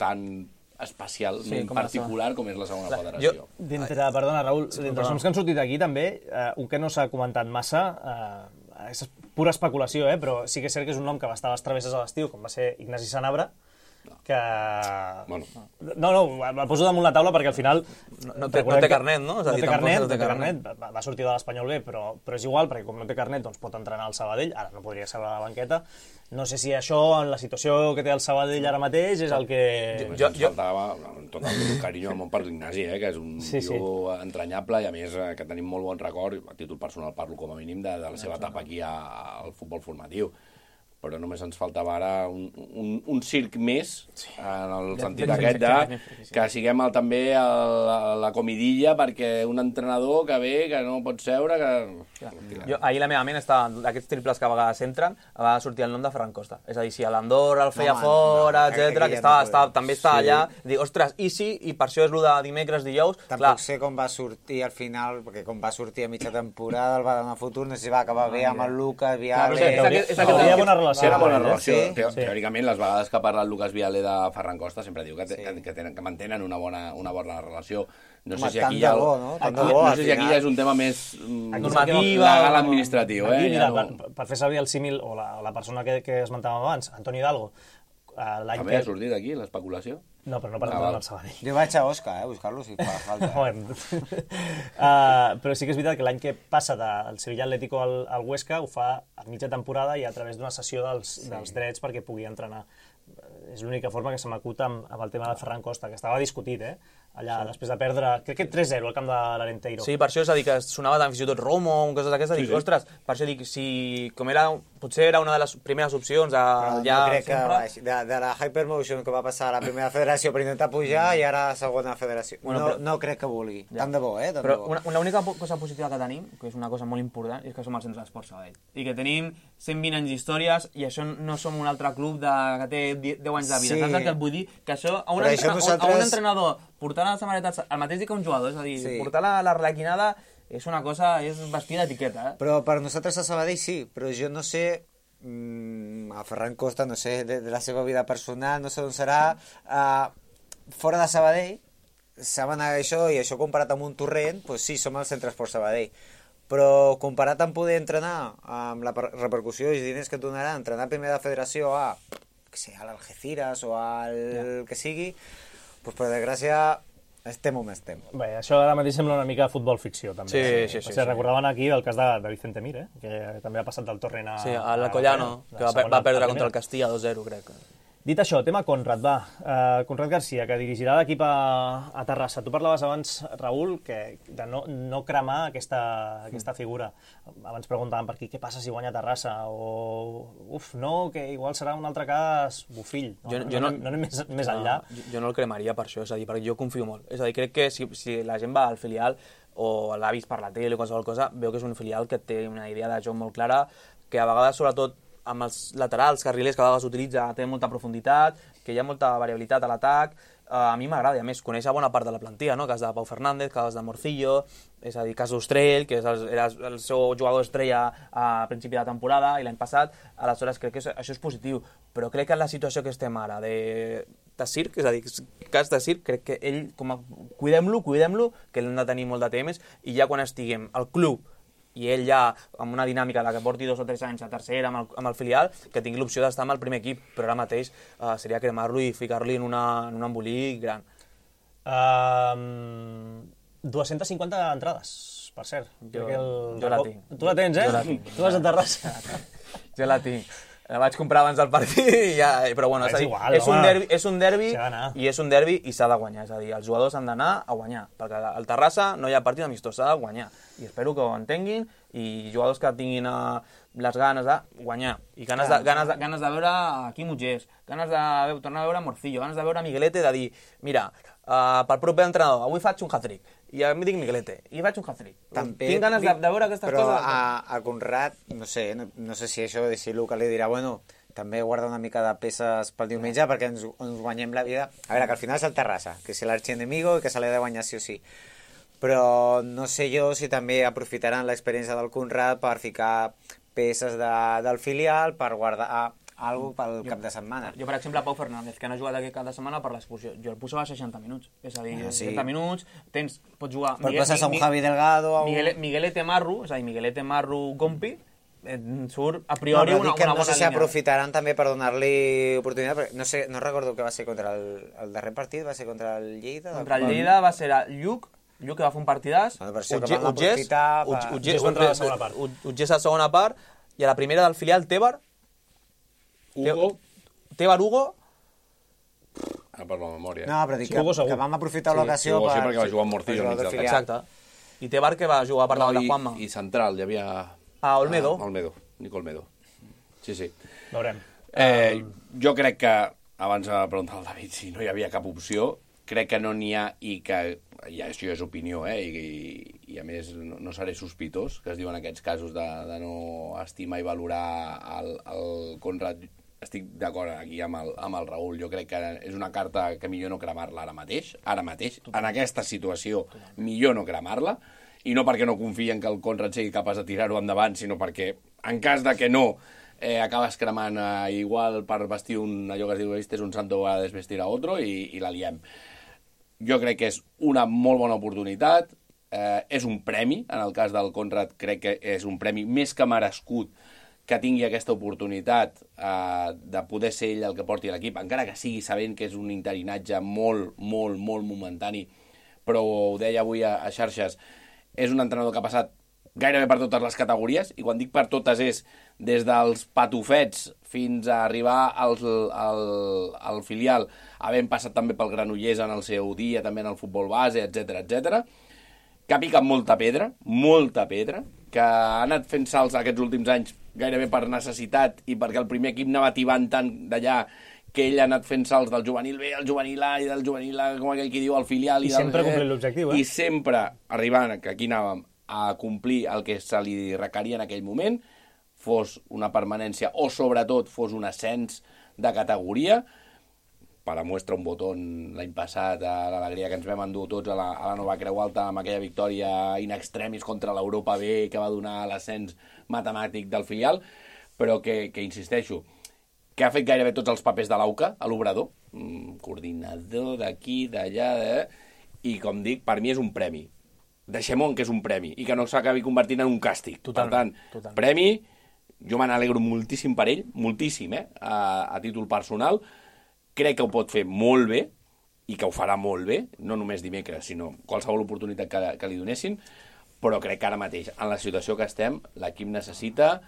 tan especialment particular com és la segona federació.
Perdona, Raül, d'entre els noms que han sortit aquí també, un que no s'ha comentat massa, és pura especulació, però sí que és cert que és un nom que va estar a les travesses a l'estiu, com va ser Ignasi Sanabra, que... No, el poso damunt la taula perquè al final...
No té carnet, no?
No té carnet, va sortir de l'Espanyol B, però és igual, perquè com no té carnet doncs pot entrenar al Sabadell, ara no podria seure a la banqueta. No sé si això, en la situació que té el Sabadell ara mateix, és el que...
Jo faltava tot el carinyo del món per l'Ignasi, que és un tio entranyable i a més que tenim molt bon record, a títol personal parlo com a mínim, de la seva etapa aquí al futbol formatiu. Però només ens faltava ara un circ més, en el sentit aquest que siguem també a la comidilla perquè un entrenador que ve, que no pot seure...
Ahir la meva ment estava, d'aquests triples que a vegades entren, va sortir el nom de Ferran Costa. És a dir, si a l'Andorra el feia fora, etc., que també estava allà, dic, ostres, i sí, i per això és el de dimecres, dijous...
Tampoc sé com va sortir al final, perquè com va sortir a mitja temporada, el va donar futur, no sé si va acabar bé amb el Lucas, Viale...
Hauria bona relació relació.
Té una bona relació. Teòricament, les vegades que ha parlat Lucas Viale de Ferran Costa sempre diu que mantenen una bona relació. No sé si aquí ja és un tema més legal administratiu.
Per fer servir el símil, o la persona que esmentàvem abans, Antoni Hidalgo,
també ha sortit aquí l'especulació?
No, però no parlem del Sabadell.
Jo vaig a Òscar, buscar-lo, si fa falta.
Però sí que és veritat que l'any que passa del Sevilla Atlético al Huesca ho fa a mitja temporada i a través d'una cessió dels drets perquè pugui entrenar. És l'única forma que se m'acut amb el tema de Ferran Costa, que estava discutit, allà, després de perdre, crec que 3-0 al camp de l'Arenteiro.
Sí, per això és a dir, que sonava tant fins i tot Romo, coses d'aquestes, dic, ostres, per això dic, si com era, potser era una de les primeres opcions
no crec que de la Hypermotion que va passar a la primera federació per intentar pujar i ara a segona federació. No crec que vulgui. Tant de bo,
Però l'única cosa positiva que tenim, que és una cosa molt important, és que som el Centre d'Esports Sabadell. I que tenim 120 anys d'històries i això no som un altre club que té 10 anys de vida. Saps el que et vull dir? Que això a un entrenador portar les samarretes el mateix dia que un jugador, és a dir, portar l'arlequinada és una cosa, és vestir d'etiqueta.
Però per nosaltres a Sabadell sí, però jo no sé, a Ferran Costa, no sé, de la seva vida personal, no sé on serà, fora de Sabadell, saben això, i això comparat amb un torrent, doncs sí, som el Centre Esport Sabadell. Però comparat amb poder entrenar, amb la repercussió i els diners que et donarà entrenar a primera federació a l'Algeciras o al que sigui, doncs per desgràcia estem on estem.
Bé, això ara mateix sembla una mica futbol ficció, també.
Sí.
Recordaven aquí el cas de Vicente Mir, que també ha passat del Torrent a...
Sí, a l'Alcoyano, que va perdre contra el Castilla 2-0, crec.
Dit això, tema Conrad, va. Conrad Garcia, que dirigirà l'equip a Terrassa. Tu parlaves abans, Raül, de no cremar aquesta figura. Abans preguntàvem per aquí, què passa si guanya Terrassa? O, que igual serà un altre cas Bufill. No anem més enllà.
Jo no el cremaria per això, és a dir, perquè jo confio molt. És a dir, crec que si la gent va al filial o l'ha vist per la tele o qualsevol cosa, veu que és un filial que té una idea de joc molt clara, que a vegades, sobretot, amb els laterals, carrilers que a vegades utilitza, té molta profunditat, que hi ha molta variabilitat a l'atac. A mi m'agrada, i a més, conèixer bona part de la plantilla, no? Cas de Pau Fernández, cas de Morcillo, és a dir, cas d'Ostrell, que era el seu jugador estrella a principi de temporada, i l'any passat, aleshores crec que això és positiu, però crec que en la situació que estem ara de Circ, és a dir, cas de Circ, crec que ell, cuidem-lo, que l'hem de tenir molt de temps, i ja quan estiguem al club i ell ja, amb una dinàmica de que porti 2 o 3 anys a tercera amb el filial, que tingui l'opció d'estar amb el primer equip, però ara mateix seria cremar-lo i ficar-li en un embolic gran.
250 entrades, per cert.
Jo la tinc.
Tu la tens, Tu vas a Terrassa.
Jo la tinc. La vaig comprar abans del partit, però bueno, és un derbi i és un derbi i s'ha de guanyar, és a dir, els jugadors han d'anar a guanyar, perquè al Terrassa no hi ha partit amistós, s'ha de guanyar, i espero que ho entenguin, i jugadors que tinguin les ganes de guanyar, i ganes de veure Quim Utgés, ganes de tornar a veure Morcillo, ganes de veure Miguelete, de dir, mira, pel proper entrenador, avui faig un hat-trick, i em dic Miguelete, i faig un hat-trick. Tinc ganes de veure aquestes coses.
Però a Conrad, no sé si això, si Luca li dirà, bueno, també guarda una mica de peces pel diumenge perquè ens guanyem la vida. A veure, que al final és el Terrassa, que és l'arxienemigo i que se l'ha de guanyar sí o sí. Però no sé jo si també aprofitaran l'experiència del Conrad per ficar peces del filial, per guardar algo pel cap de setmana.
Jo, per exemple, Pau Fernández, que no ha jugat aquest cap de setmana per l'expulsió. Jo el posava a 60 minuts. És a dir, 60 minuts, pots jugar...
Però poses a un Javi Delgado...
Miguelete Marru, és a dir, Miguelete Marru Gompi, surt a priori una bona línia.
No sé si aprofitaran també per donar-li oportunitat, perquè no recordo que va ser contra el darrer partit, va ser contra el Lleida?
Contra el Lleida va ser Lluc, que va fer un partidàs, Utgés a la segona part, i a la primera del filial Tebar Hugo...
Ara per la memòria.
No, però dic que vam aprofitar l'ocasió
per... Sí, perquè va jugar amb Morcillo.
Exacte. I Tebar que va jugar per davant de Juanma.
I central, hi havia...
Olmedo.
Nico Olmedo. Sí.
Veurem.
Jo crec que, abans de preguntar al David si no hi havia cap opció, crec que no n'hi ha i que... I això és opinió, i a més no seré sospitós, que es diuen aquests casos de no estimar i valorar el Conrad. Estic d'acord aquí amb el Raül. Jo crec que és una carta que millor no cremar-la ara mateix, en aquesta situació, millor no cremar-la, i no perquè no confien que el Conrad sigui capaç de tirar-ho endavant, sinó perquè, en cas de que no, acabes cremant igual per vestir allò que es diu és un santo a desvestir a otro i la liem. Jo crec que és una molt bona oportunitat, és un premi, en el cas del Conrad crec que és un premi més que merescut que tingui aquesta oportunitat de poder ser ell el que porti l'equip, encara que sigui sabent que és un interinatge molt, molt, molt momentani, però ho deia avui a xarxes, és un entrenador que ha passat gairebé per totes les categories, i quan dic per totes és des dels patufets fins a arribar al filial, havent passat també pel Granollers en el seu dia, també en el futbol base, etc, que ha picat molta pedra, que ha anat fent salts aquests últims anys gairebé per necessitat i perquè el primer equip anava tibant tant d'allà que ell ha anat fent salts del juvenil B al juvenil A i del juvenil A, com aquell que diu, al filial.
I sempre complint l'objectiu,
I sempre arribant, que aquí anàvem, a complir el que se li requeria en aquell moment, fos una permanència o sobretot fos un ascens de categoria. Per a muestra un botó l'any passat, l'alegria que ens vam endur tots a la Nova Creu Alta amb aquella victòria in extremis contra l'Europa B que va donar l'ascens matemàtic del filial, però que insisteixo, que ha fet gairebé tots els papers de l'AUCA a l'Obrador, coordinador d'aquí, d'allà, i com dic, per mi és un premi. Deixem-ho que és un premi i que no s'acabi convertint en un càstig.
Totalment,
per tant, premi, jo me n'alegro moltíssim per ell, moltíssim, a títol personal. Crec que ho pot fer molt bé i que ho farà molt bé, no només dimecres, sinó qualsevol oportunitat que li donessin, però crec que ara mateix, en la situació que estem, l'equip necessita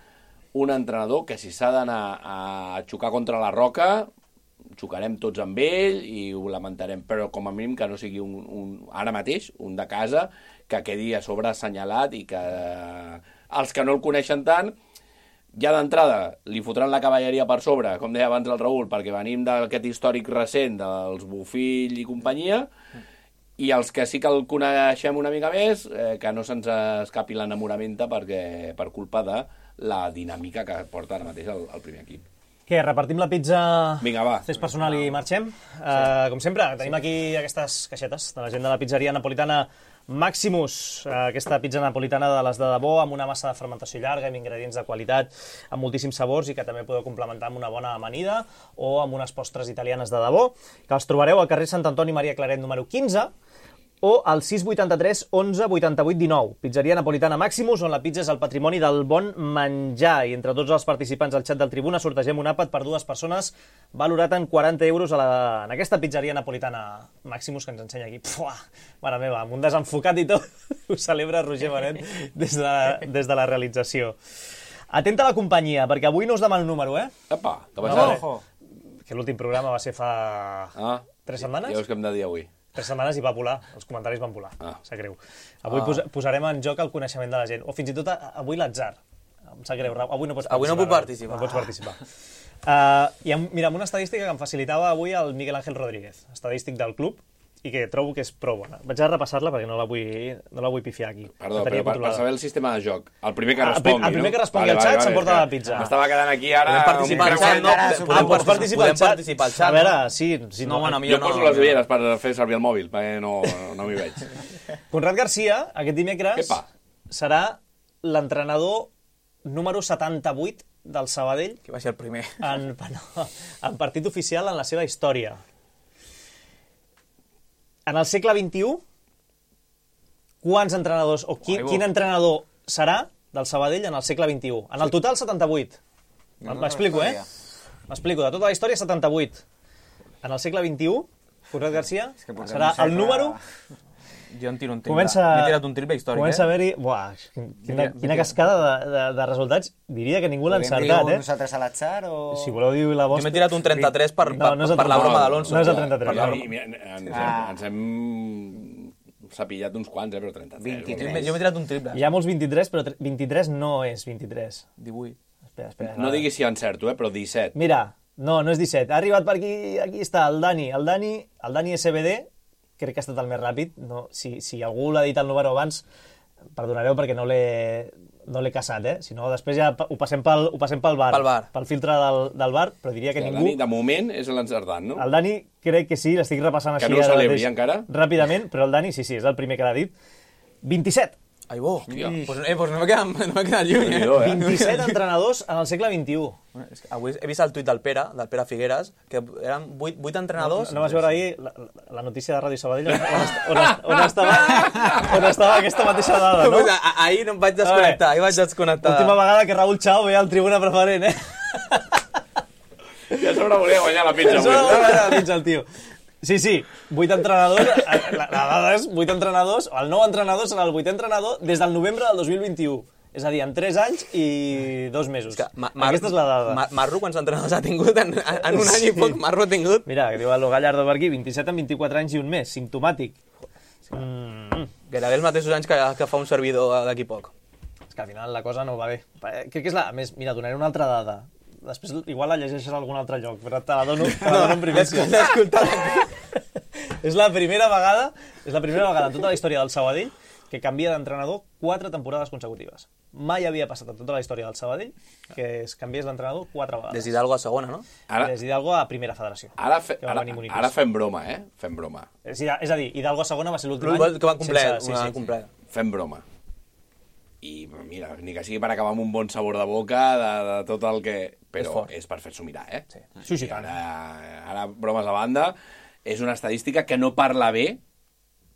un entrenador que si s'ha d'anar a xocar contra la roca, xocarem tots amb ell i ho lamentarem, però com a mínim que no sigui ara mateix, un de casa, que quedi a sobre assenyalat i que els que no el coneixen tant, ja d'entrada li fotran la cavalleria per sobre, com deia abans el Raül, perquè venim d'aquest històric recent dels Bofill i companyia, i els que sí que el coneixem una mica més, que no se'ns escapi l'enamoramenta per culpa de la dinàmica que porta ara mateix el primer equip.
Què, repartim la pizza?
Vinga, va.
Fes personal i marxem? Com sempre, tenim aquí aquestes caixetes de la gent de la pizzeria napolitana Maximus, aquesta pizza napolitana de les de debò, amb una massa de fermentació llarga, amb ingredients de qualitat, amb moltíssims sabors i que també podeu complementar amb una bona amanida o amb unes postres italianes de debò, que els trobareu al carrer Sant Antoni Maria Claret número 15 o al 683 11 88 19. Pizzeria napolitana Maximus, on la pizza és el patrimoni del bon menjar. I entre tots els participants al xat del Tribuna sortegem un àpat per 2 persones valorat en 40 euros en aquesta pizzeria napolitana Maximus que ens ensenya aquí. Puah, mare meva, amb un desenfocat i tot, ho celebra Roger Benet des de la realització. Atenta a la companyia, perquè avui no us demano el número,
Epa, que va ser?
Que l'últim programa va ser fa 3 setmanes?
Ja veus què hem de dir avui.
3 setmanes i va volar, els comentaris van volar, sap greu. Avui posarem en joc el coneixement de la gent, o fins i tot avui l'atzar. Em sap greu, avui no pots participar.
Avui no puc participar.
No pots participar. Mira, amb una estadística que em facilitava avui el Miguel Ángel Rodríguez, estadístic del club, i que trobo que és prou bona. Vaig a repassar-la perquè no la vull pifiar aquí.
Perdó, però per saber el sistema de joc, el primer que respongui,
no? El primer que respongui al xat s'emporta la pizza.
M'estava quedant aquí ara...
Podem participar al xat, no?
Pots participar al xat. A veure, sí.
No,
jo poso les ulleres per fer servir el mòbil, perquè no m'hi veig.
Conrad Garcia, aquest dimecres, serà l'entrenador número 78 del Sabadell.
Que va ser el primer.
En partit oficial en la seva història. En el segle XXI, quants entrenadors, o quin entrenador serà del Sabadell en el segle XXI? En el total, 78. M'explico, M'explico, de tota la història, 78. En el segle XXI, Conrad Garcia serà el número...
Jo em tiro un triple. M'he tirat un triple històric,
Comença a haver-hi... Buah, quina cascada de resultats. Diria que ningú l'ha encertat,
Podem dir nosaltres a l'atzar o...
Si voleu dir la vostra...
Jo m'he tirat un 33 per la broma d'Alonso.
No és el 33.
Ens hem sapillat uns quants, però 33.
Jo m'he tirat un triple.
Hi ha molts 23, però 23 no és 23.
18.
Espera.
No diguis si encerto, però 17.
Mira, no és 17. Ha arribat per aquí està el Dani. El Dani SBD, crec que ha estat el més ràpid. No, si algú l'ha dit el número abans, perdonareu perquè no l'he caçat, Si no, després ja ho passem pel bar. Pel filtre del bar, però diria que ningú...
El Dani, de moment, és l'encertant, no?
El Dani crec que sí, l'estic repassant així...
Que no ho celebri encara?
Ràpidament, però el Dani sí, és el primer que l'ha dit. 27.
Ai, bo.
Hòstia.
Pues no m'he quedat lluny, eh?
27 entrenadors en el segle XXI.
Avui he vist el tuit del Pere Figueres, que eren 8 entrenadors...
No vas veure ahir la notícia de Ràdio Sabadell on estava aquesta mateixa dada, no?
Ahir no em vaig desconnectar,
Última vegada que Raúl Chao ve al Tribuna Preferent, eh?
Ja sobre volia guanyar la pizza.
Sobre volia guanyar la pizza, el tio. Sí, 8 entrenadors, la dada és 8 entrenadors, el nou entrenador serà el 8è entrenador des del novembre del 2021. És a dir, en 3 anys i 2 mesos. Aquesta és la dada.
Marro, quants entrenadors ha tingut en un any i poc? Marro ha tingut?
Mira, que diu el Gallardo per aquí, 27 en 24 anys i un mes, simptomàtic.
Gairebé els mateixos anys que fa un servidor d'aquí poc.
És que al final la cosa no va bé. Crec que és la... A més, mira, donaré una altra dada. Després igual la llegeixes a algun altre lloc, però te la dono en primícia.
L'he escoltat.
És la primera vegada en tota la història del Sabadell que canvia d'entrenador 4 temporades consecutives. Mai havia passat en tota la història del Sabadell que es canviés l'entrenador 4 vegades.
Des d'Hidalgo a segona, no?
Des d'Hidalgo a primera federació.
Ara fem broma, eh? Fem broma.
És a dir, Hidalgo a segona va ser l'últim any.
Que van complet.
Fem broma. I mira, ni que sigui per acabar amb un bon sabor de boca de tot el que... Però és per fer-s'ho mirar, eh?
Sí, tant.
Ara, bromes a banda, és una estadística que no parla bé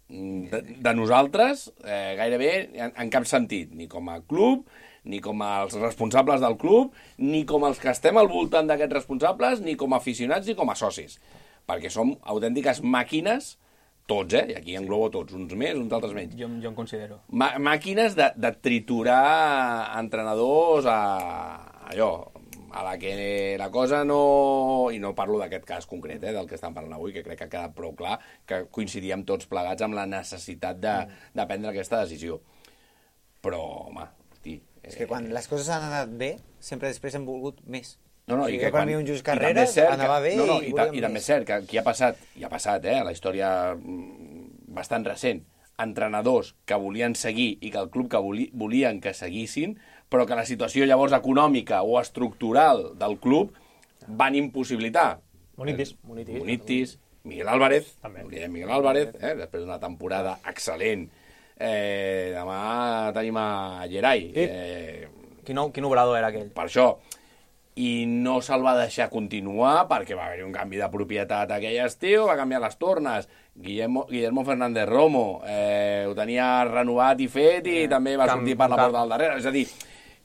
de nosaltres gairebé en cap sentit, ni com a club, ni com els responsables del club, ni com els que estem al voltant d'aquests responsables, ni com a aficionats, ni com a socis. Perquè som autèntiques màquines, tots, i aquí englobo tots, uns més, uns altres menys.
Jo em considero.
Màquines de triturar entrenadors a la que la cosa no... I no parlo d'aquest cas concret, del que estem parlant avui, que crec que ha quedat prou clar, que coincidíem tots plegats amb la necessitat de prendre aquesta decisió. Però, home, hosti...
És que quan les coses han anat bé, sempre després hem volgut més.
No, i que
quan hi ha un Just Carreras anava bé
i també és cert que aquí ha passat, a la història bastant recent, entrenadors que volien seguir i que el club que volien que seguissin, però que la situació llavors econòmica o estructural del club van impossibilitar. Munitis, Miguel Álvarez, després d'una temporada excel·lent. Demà tenim a Gerai.
Quin obrador era aquell?
Per això. I no se'l va deixar continuar perquè va haver un canvi de propietat aquell estiu, va canviar les tornes. Guillermo Fernández Romo ho tenia renovat i fet i també va sortir per la porta del darrere. És a dir,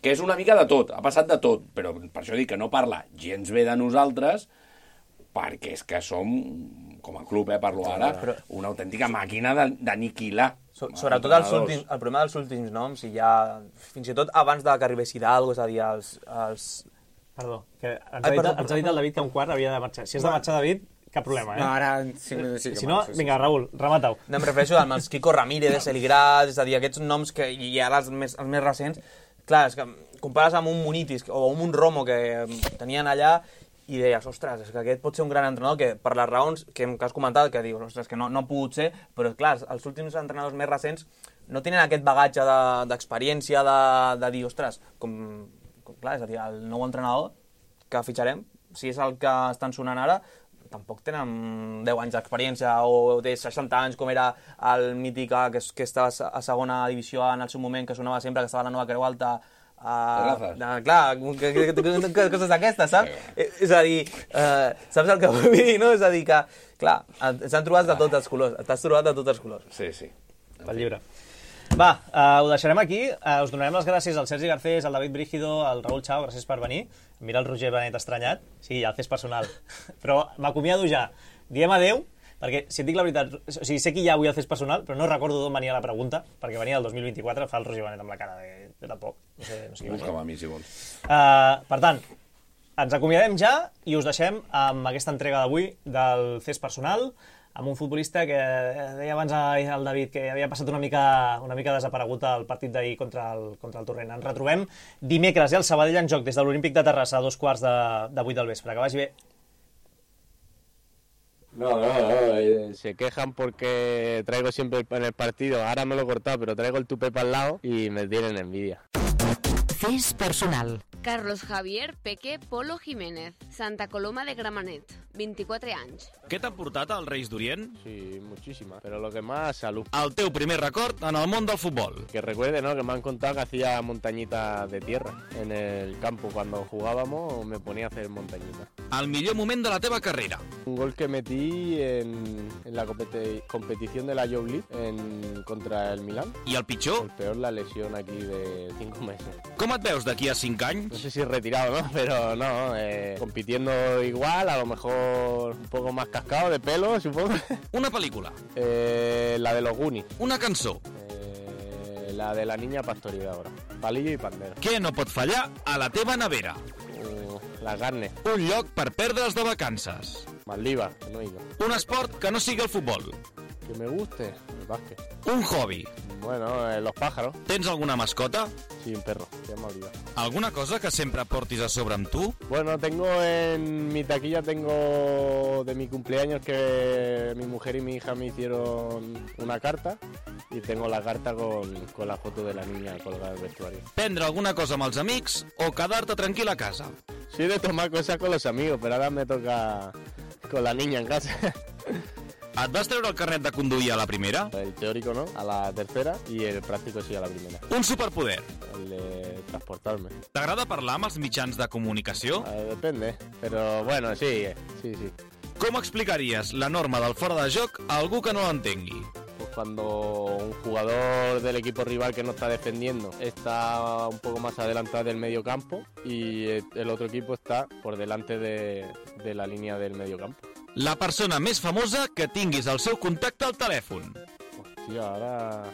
que és una mica de tot, ha passat de tot, però per això dic que no parla gens bé de nosaltres perquè és que som, com a club, parlo ara, una autèntica màquina d'aniquilar.
Sobretot el problema dels últims noms, i ja fins i tot abans de que arribés Hidalgo, és a dir, els...
Perdó, que ens ha dit el David que un quart havia de marxar. Si has de marxar, David, cap problema, eh?
No, ara en 5 minuts sí que
si no, vinga, Raül, remata-ho.
No, em refereixo amb els Kiko Ramírez, Eligrat, és a dir, aquests noms que hi ha els més recents. Clar, és que compares amb un Munitis o amb un Romo que tenien allà i deies, ostres, és que aquest pot ser un gran entrenador que per les raons que has comentat, que dius, ostres, que no ha pogut ser, però clar, els últims entrenadors més recents no tenen aquest bagatge d'experiència de dir, ostres, clar, és a dir, el nou entrenador que fitxarem, si és el que estan sonant ara, tampoc tenen 10 anys d'experiència o té 60 anys, com era el mític que estava a segona divisió en el seu moment, que sonava sempre, que estava a la Nova Creu Alta. Clar, coses d'aquestes, saps? És a dir, saps el que vull dir, no? És a dir que, clar, s'han trobat de tots els colors, t'has trobat de tots els colors.
Sí, sí.
Pel llibre. Va, ho deixarem aquí. Us donarem les gràcies al Sergi Garcés, al David Brígido, al Raúl Chao, gràcies per venir. Mira el Roger Benet estranyat. Sí, ja el fes personal. Però m'acomiado ja. Diem adeu, perquè si et dic la veritat, o sigui, sé que ja avui el fes personal, però no recordo d'on venia la pregunta, perquè venia del 2024, fa el Roger Benet amb la cara de tampoc. No sé què
busca'm a mi, si vols.
Per tant, ens acomiadem ja i us deixem amb aquesta entrega d'avui del fes personal, amb un futbolista que deia abans el David que havia passat una mica desaparegut al partit d'ahir contra el Torrent. Ens retrobem dimecres, el Sabadell en joc des de l'Olímpic de Terrassa a 2:15 de 8 del vespre. Que vagi bé.
No, se quejan porque traigo siempre en el partido, ahora me lo he cortado, pero traigo el tupé para el lado y me tienen envidia.
Fes personal.
Carlos Javier Peque Polo Jiménez, Santa Coloma de Gramenet. 24 anys.
Què t'han portat als Reis d'Orient?
Sí, muchísimas, pero lo que más, salud.
El teu primer record en el món del futbol.
Que recuerde, ¿no? Que me han contado que hacía montañitas de tierra en el campo. Cuando jugábamos me ponía a hacer montañitas.
El millor moment de la teva carrera.
Un gol que metí en la competición de la Youth League contra el Milán.
I el pitjor?
El peor, la lesión aquí de 5 meses.
Com et veus d'aquí a 5 anys?
No sé si retirado, ¿no? Pero no, compitiendo igual, a lo mejor un poco más cascado de pelo, supongo.
Una pel·lícula?
La de los Goonies.
Una cançó?
La de la niña pastorida ahora. Palillo y pandero.
Què no pot fallar a la teva nevera?
La carne.
Un lloc per perdre's de vacances.
Maldivas, que no he ido.
Un esport que no sigui el futbol.
Que me guste, el básquet.
Un hobby.
Bueno, los pájaros.
Tens alguna mascota?
Sí, un perro, se llama Oliva.
Alguna cosa que sempre portis a sobre amb tu?
Bueno, tengo en mi taquilla, tengo de mi cumpleaños que mi mujer y mi hija me hicieron una carta y tengo la carta con la foto de la niña colgada del vestuario.
Prendre alguna cosa amb els amics o quedar-te tranquil a casa?
Soy de tomar cosas con los amigos, pero ahora me toca con la niña en casa.
Et vas treure el carnet de conduir a la primera?
El teórico no, a la tercera, y el práctico sí a la primera.
Un superpoder?
El de transportarme.
T'agrada parlar amb els mitjans de comunicació?
Depende, pero bueno, sí.
Com explicaries la norma del fora de joc a algú que no l'entengui?
Pues cuando un jugador del equipo rival que no está defendiendo está un poco más adelantado del medio campo y el otro equipo está por delante de la línea del medio campo.
La persona més famosa que tinguis el seu contacte al telèfon.
Hòstia, ara...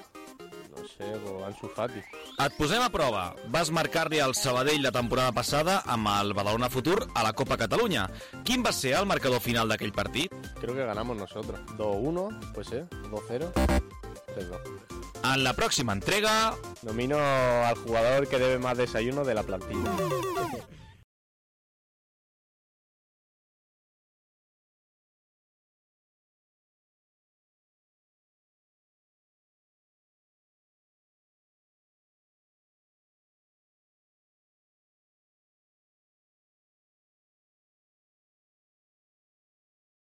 no sé, Ansu Fati.
Et posem a prova. Vas marcar-li al Sabadell la temporada passada amb el Badalona Futur a la Copa Catalunya. Quin va ser el marcador final d'aquell partit?
Creo que ganamos nosotros. 2-1, pues 2-0, 3-2.
En la pròxima entrega...
Nomino al jugador que debe más desayuno de la plantilla.